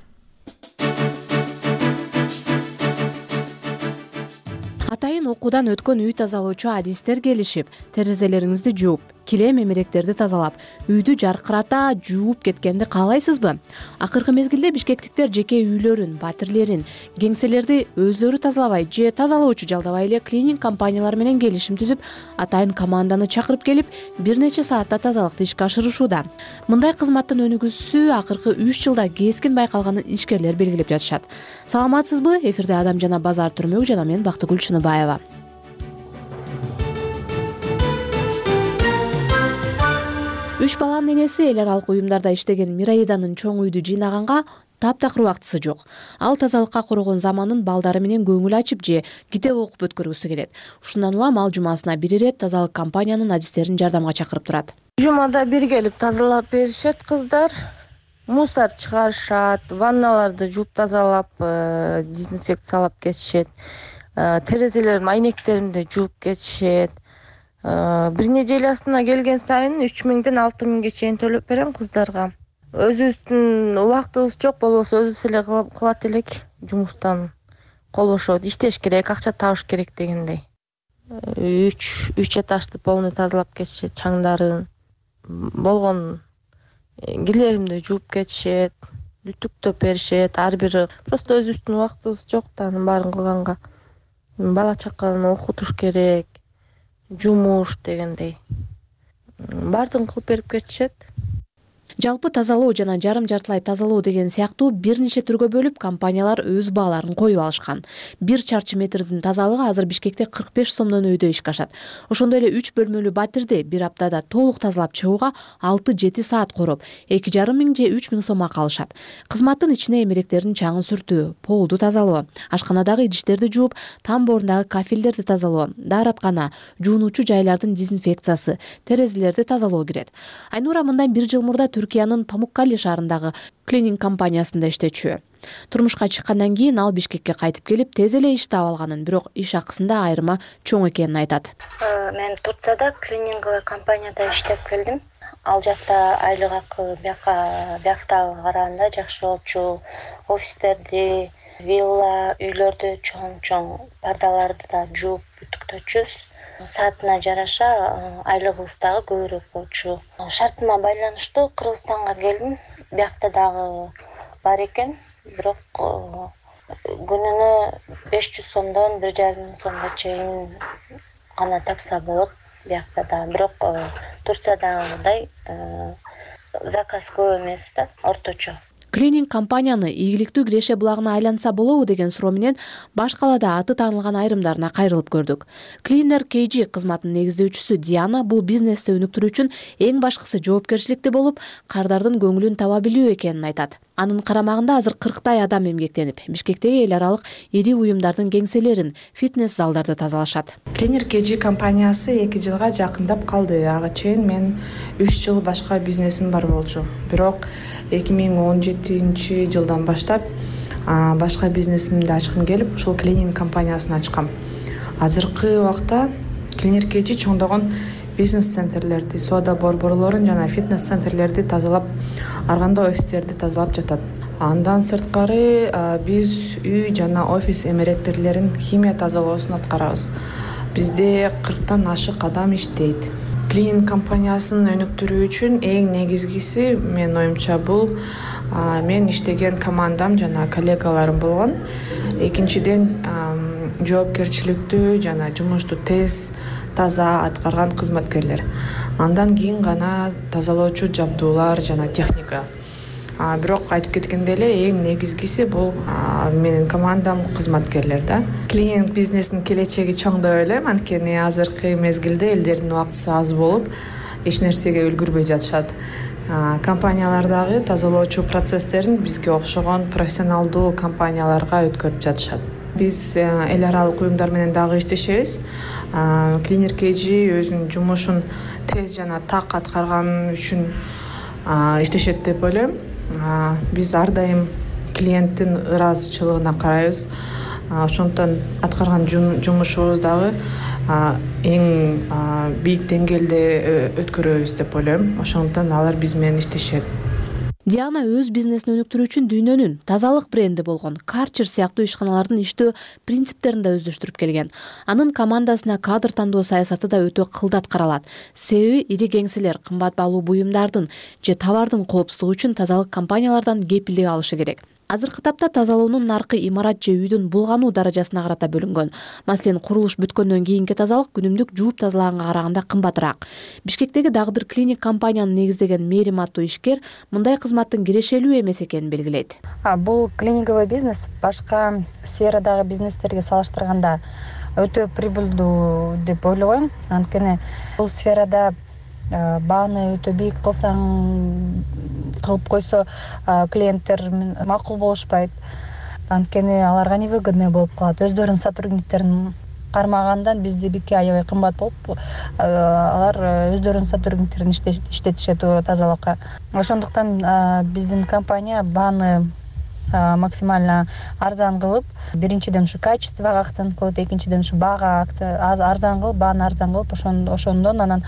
Атайын окуудан өткөн үй тазалоочу адистер келишип, терезелериңизди жууп, килем эмеректерди тазалап, үйдү жаркырата жууп кеткенди каалайсызбы? Акыркы мезгилде бишкектиктер жеке үйлөрүн, батирлерин, кеңселерди өзлөрү тазалабай же тазалоочу жалдабай эле клининг компаниялар менен келишим түзүп, атайын команданы чакырып келип, бир нече саатта тазалыкты ишке ашырышууда. Мындай кызматтын өнүгүүсү акыркы үч жылда кескин байкалганын ишкерлер белгилеп жатышат. Саламатсызбы? Эфирде Адам жана базар түрмөгү жана мен Бактыгүл Чыныбаева. Үч баланын энеси эл аралык уюмдарда иштеген Мираиданын чоң үйдү жыйнаганга таптакыр убактысы жок. Ал тазалыкка корогон заманын балдары менен көңүл ачып же китеп окуп өткөргүсү келет. Ушундан улам ал жумасына бир ирет тазалык компаниянын адистерин жардамга чакырып турат. Жумада бир келип тазалап беришет кыздар. Мусор чыгарышат, ванналарды жууп тазалап, дезинфекциялап кетишет. Терезелердин айнектеринди жууп кетишет. Бир неделясына келген сайын үч миңден алты миңге чейин төлөп берем кыздарга. Өзүбүздүн убактыбыз жок болбосо өзүбүз эле кылат элек, жумуштан кол бошобойт, иштеш керек, акча табыш керек дегендей. үч үч этажды полный тазалап кетишет, чаңдарын, болгон кирлеримди жууп кетишет, үтүктөп беришет, ар бири. Просто өзүбүздүн убактыбыз жок да анын баарын кылганга. Бала чаканы окутуш керек, жумуш дегендей. Баардыгын кылып берип кетишет. Жалпы тазалоо жана жарым жартылай тазалоо деген сыяктуу бир нече түргө бөлүп компаниялар өз бааларын коюп алышкан. Бир чарчы метрдин тазалыгы азыр Бишкекте кырк беш сомдон өйдө ишке ашат. Ошондой эле үч бөлмөлүү батирди бир аптада толук тазалап чыгууга алты жети саат короп, эки жарым миң же үч миң сом акы алышат. Кызматтын ичине эмеректердин чаңын сүртүү, полду тазалоо, ашканадагы идиштерди жууп, тамборундагы кафелдерди тазалоо, даараткана, жуунуучу жайлардын дезинфекциясы, терезелерди тазалоо кирет. Айнура мындан бир жыл мурда Түркиянын Памуккале шаарындагы клининг компаниясында иштечү. Турмушка чыккандан кийин ал Бишкекке кайтып келип, тез эле иш таап алганын, бирок иш акысында айырма чоң экенин айтат. Мен Турцияда клининговый компанияда иштеп келдим. Ал жакта айлык акы бияка бияктагы караганда жакшы болчу. Офистерди, вилла, үйлөрдү чоң-чоң пардаларды да жууп үтүктөчүбүз. Саатына жараша айлыгыбыз дагы көбүрөөк болчу. Шартыма байланыштуу Кыргызстанга келдим. Биякта дагы бар экен, бирок күнүнө беш жүз сомдон бир жарым миң сомго чейин гана тапса болот биякта да. Бирок Турциядагыдай заказ көп эмес да, орточо. Клининг компанияны ийгиликтүү киреше булагына айланса болобу деген суроо менен баш калаада аты таанылган айрымдарына кайрылып көрдүк. Cleaner кей джи кызматынын негиздөөчүсү Диана бул бизнести өнүктүрүү үчүн эң башкысы жоопкерчиликти болуп, кардардын көңүлүн таба билүү экенин айтат. Анын карамагында азыр кырктай адам эмгектенип, Бишкектеги эл аралык ири уюмдардын кеңселерин, фитнес залдарды тазалашат. Cleaner кей джи компаниясы эки жылга жакындап калды. Ага чейин мен үч жыл башка бизнесим бар болчу. Бирок эки миң он жетинчи жылдан баштап башка бизнесимди ачкым келип, ушул клининг компаниясын ачкам. Азыркы убакта Cleaner кей джи чоңдогон бизнес-центрлерди, соода борборлорун жана фитнес-центрлерди тазалап, арганда офистерди тазалап жатат. Андан сырткары биз үй жана офис эмеректерин химия тазалоосун аткарабыз. Бизде кырктан ашык адам иштейт. Клининг компаниясын өнүктүрүү үчүн эң негизгиси менин оюмча бул мен иштеген командам жана коллегаларым болгон. Экинчиден жоопкерчиликтүү жана жумушту тез таза аткарган кызматкерлер. Андан кийин гана тазалоочу жабдуулар жана техника. А бирок айтып кеткендей эле эң негизгиси бул менин командам кызматкерлер да. Клининг бизнесинин келечеги чоң деп ойлойм, анткени азыркы мезгилде элдердин убактысы аз болуп, эч нерсеге үлгүрбөй жатышат. Компаниялардагы тазалоочу процесстерин бизге окшогон профессионалдуу компанияларга өткөрүп жатышат. Биз эл аралык уюмдар менен дагы иштешебиз. Cleaner кей джи өзүнүн жумушун тез жана так аткарган үчүн иштешет деп ойлойм. Биз ар дайым клиенттин ыраазычылыгына карайбыз. Ошондон аткарган жумушубуз дагы эң бийик деңгээлде өткөрөбүз деп ойлойм. Ошондон алар биз менен иштешет. Диана өз бизнесин өнүктүрүү үчүн дүйнөнүн тазалык бренди болгон Karcher сыяктуу ишканалардын иштөө принциптерин да өздөштүрүп келген. Анын командасына кадр тандоо саясаты да өтө кылдат каралат. Себеби ири кеңселер кымбат баалуу буюмдардын же товардын коопсуздугу үчүн тазалык компаниялардан кепилдик алышы керек. Азыркы тапта тазалоонун наркы имарат же үйдүн булгануу даражасына карата бөлүнгөн. Маселен, курулуш бүткөндөн кийинки тазалык күнүмдүк жууп тазалаганга караганда кымбатыраак. Бишкектеги дагы бир клиник компанияны негиздеген Мерим аттуу ишкер мындай кызматтын кирешелүү эмес экенин белгилейт. Бул клиниковый бизнес башка сферадагы бизнестерге салыштырганда өтө прибыльдуу деп ойлойм. Анткени бул сферада бааны өтө бийик кылсаң, кылып койсо клиенттер макул болушпайт. Анткени аларга невыгодный болуп калат. Өздөрүнүн сотрудниктерин кармагандан биздики аябай кымбат болуп, алар өздөрүнүн сотрудниктерин иштетишет тазалыкка. Ошондуктан биздин компания бааны максимально арзан кылып, биринчиден ушу качествого акцент кылып, экинчиден ушу баага арзан кылып, бааны арзан кылып, ошондон анан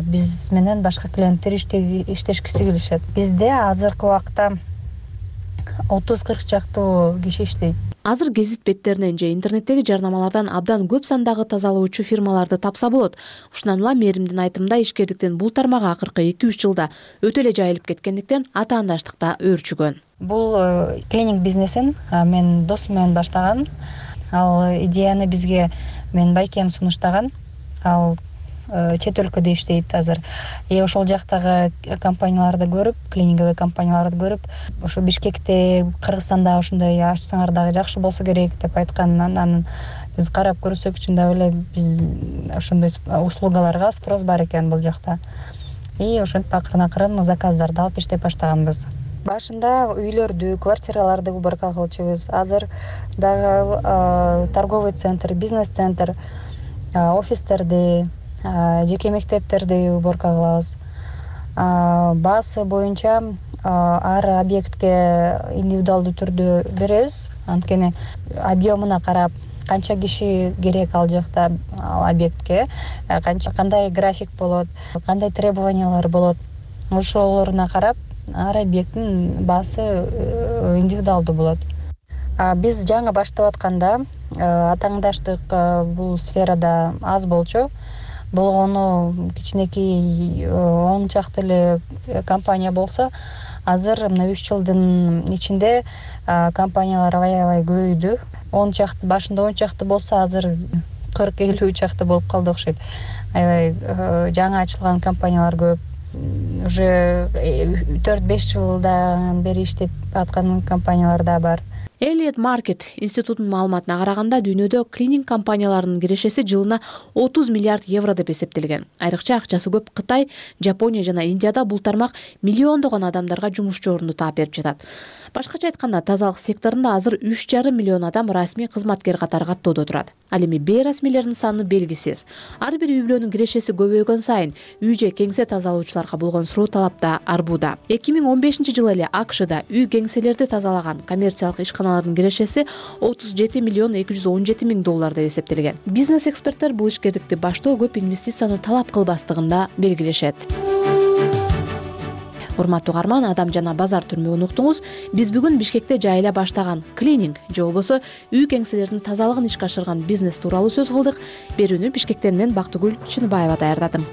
биз менен башка клиенттер иштешкиси келишет. Бизде азыркы убакта отуз кырк чактуу киши иштейт. Азыр гезит беттеринен же интернеттеги жарнамалардан абдан көп сандагы тазалоочу фирмаларды тапса болот. Ушундан улам Меримдин айтымында ишкердиктин бул тармагы акыркы эки үч жылда өтө эле жайылып кеткендиктен атаандаштыкта өөрчүгөн. Бул клиник бизнесин мен досум менен баштаган. Ал идеяны бизге менин байкем сунуштаган. Ал чет өлкөдө иштейт азыр. И ошол жактагы компанияларды көрүп, клиниковый компанияларды көрүп, ошо Бишкекте, Кыргызстанда ушундай ачсаңар дагы жакшы болсо керек деп айтканынан анан биз карап көрсөк чын да эле биз ошондой услугаларга спрос бар экен бул жакта. И ошентип акырын-акырын заказдарды алып иштеп баштаганбыз. Башында үйлөрдү, квартираларды уборка кылчубуз. Азыр дагы торговый центр, бизнес-центр, офистерди, жеке мектептерди уборка кылабыз. Баасы боюнча ар объектке индивидуалдуу түрдө беребиз. Анткени объемуна карап, канча киши керек ал жакта ал объектке, канча кандай график болот, кандай требованиялар болот. Ошолоруна карап ар объекттин баасы индивидуалдуу болот. Биз жаңы баштап атканда атааңдаштык бул сферада аз болчу. Болгону кичинекей он чакты эле компания болсо, азыр мына үч жылдын ичинде компаниялар аябай көбөйдү. он чакты, башында он чакты болсо, азыр кырк элүү чакты болуп калды окшойт. Аябай жаңы ачылган компаниялар көп. Уже төрт беш жылдан бери иштеп аткан компаниялар да бар. Elliott Market институтунун маалыматына караганда дүйнөдө клининг компанияларынын кирешеси жылына отуз миллиард евро деп эсептелген. Айрыкча акчасы көп Кытай, Жапония жана Индияда бул тармак миллиондогон адамдарга жумушчу орунду таап берип жатат. Башкача айтканда, тазалык секторунда азыр үч жарым миллион адам расмий кызматкер катары каттоодо турат. Ал эми бейрасмийлердин саны белгисиз. Ар бир үй бүлөнүн кирешеси көбөйгөн сайын үй же кеңсе тазалоочуларга болгон суроо талап да арбууда. эки миң он бешинчи жылы эле АКШда үй кеңселерди тазалаган коммерциялык ишканалардын кирешеси отуз жети миллион эки жүз он жети миң доллар деп эсептелген. Бизнес эксперттер бул ишкердикти баштоо көп инвестицияны талап кылбастыгын да белгилешет. Урматтуу угарман, Адам жана базар түрмөгүн уктуңуз. Биз бүгүн Бишкекте жайыла баштаган клининг же болбосо үй кеңселердин тазалыгын ишке ашырган бизнес тууралуу сөз кылдык. Берүүнү Бишкектен мен Бактыгүл Чыныбаева даярдадым.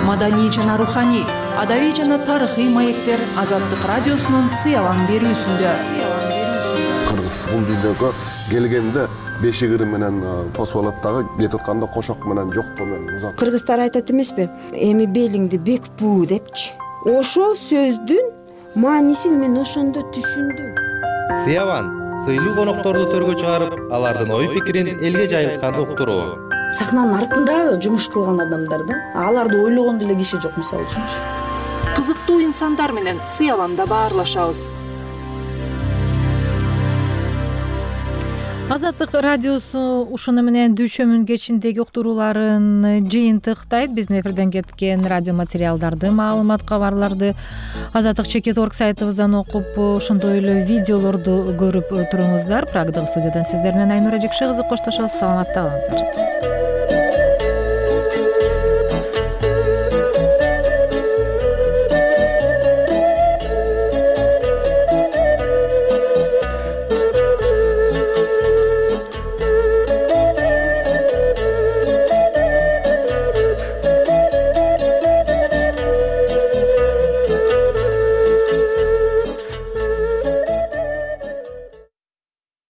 Маданий жана руханий адабий жана тарыхый маектер Азаттык радиосунун Сыялаң берүүсүндө. Кыргыз бул дүйнөгө келгенде бешигири менен тосуп алат дагы, кетип атканда кошок менен жоктоо менен узат. Кыргыздар айтат эмеспи? Эми белиңди бек буу депчи. Ошол сөздүн маанисин мен ошондо түшүндүм. Сыялаң сыйлуу конокторду төргө чыгарып, алардын ой пикирин элге жайылткан уктуруу. Сахнанын артында жумуш кылган адамдар да, аларды ойлогон деле киши жок, мисалы үчүнчү. Кызыктуу инсандар менен Сыялаңда баарлашабыз. Азаттык радиосу ушуну менен дүйшөмүн кечиндеги уктурууларын жыйынтыктайт. Биздин эфирден кеткен радио материалдарды, маалымат, кабарларды азаттык чекит точка орг сайтыбыздан окуп, ошондой эле видеолорду көрүп туруңуздар. Прагдагы студиядан сиздер менен Айнура Жекше кызы коштошобуз. Саламатта калыңыздар.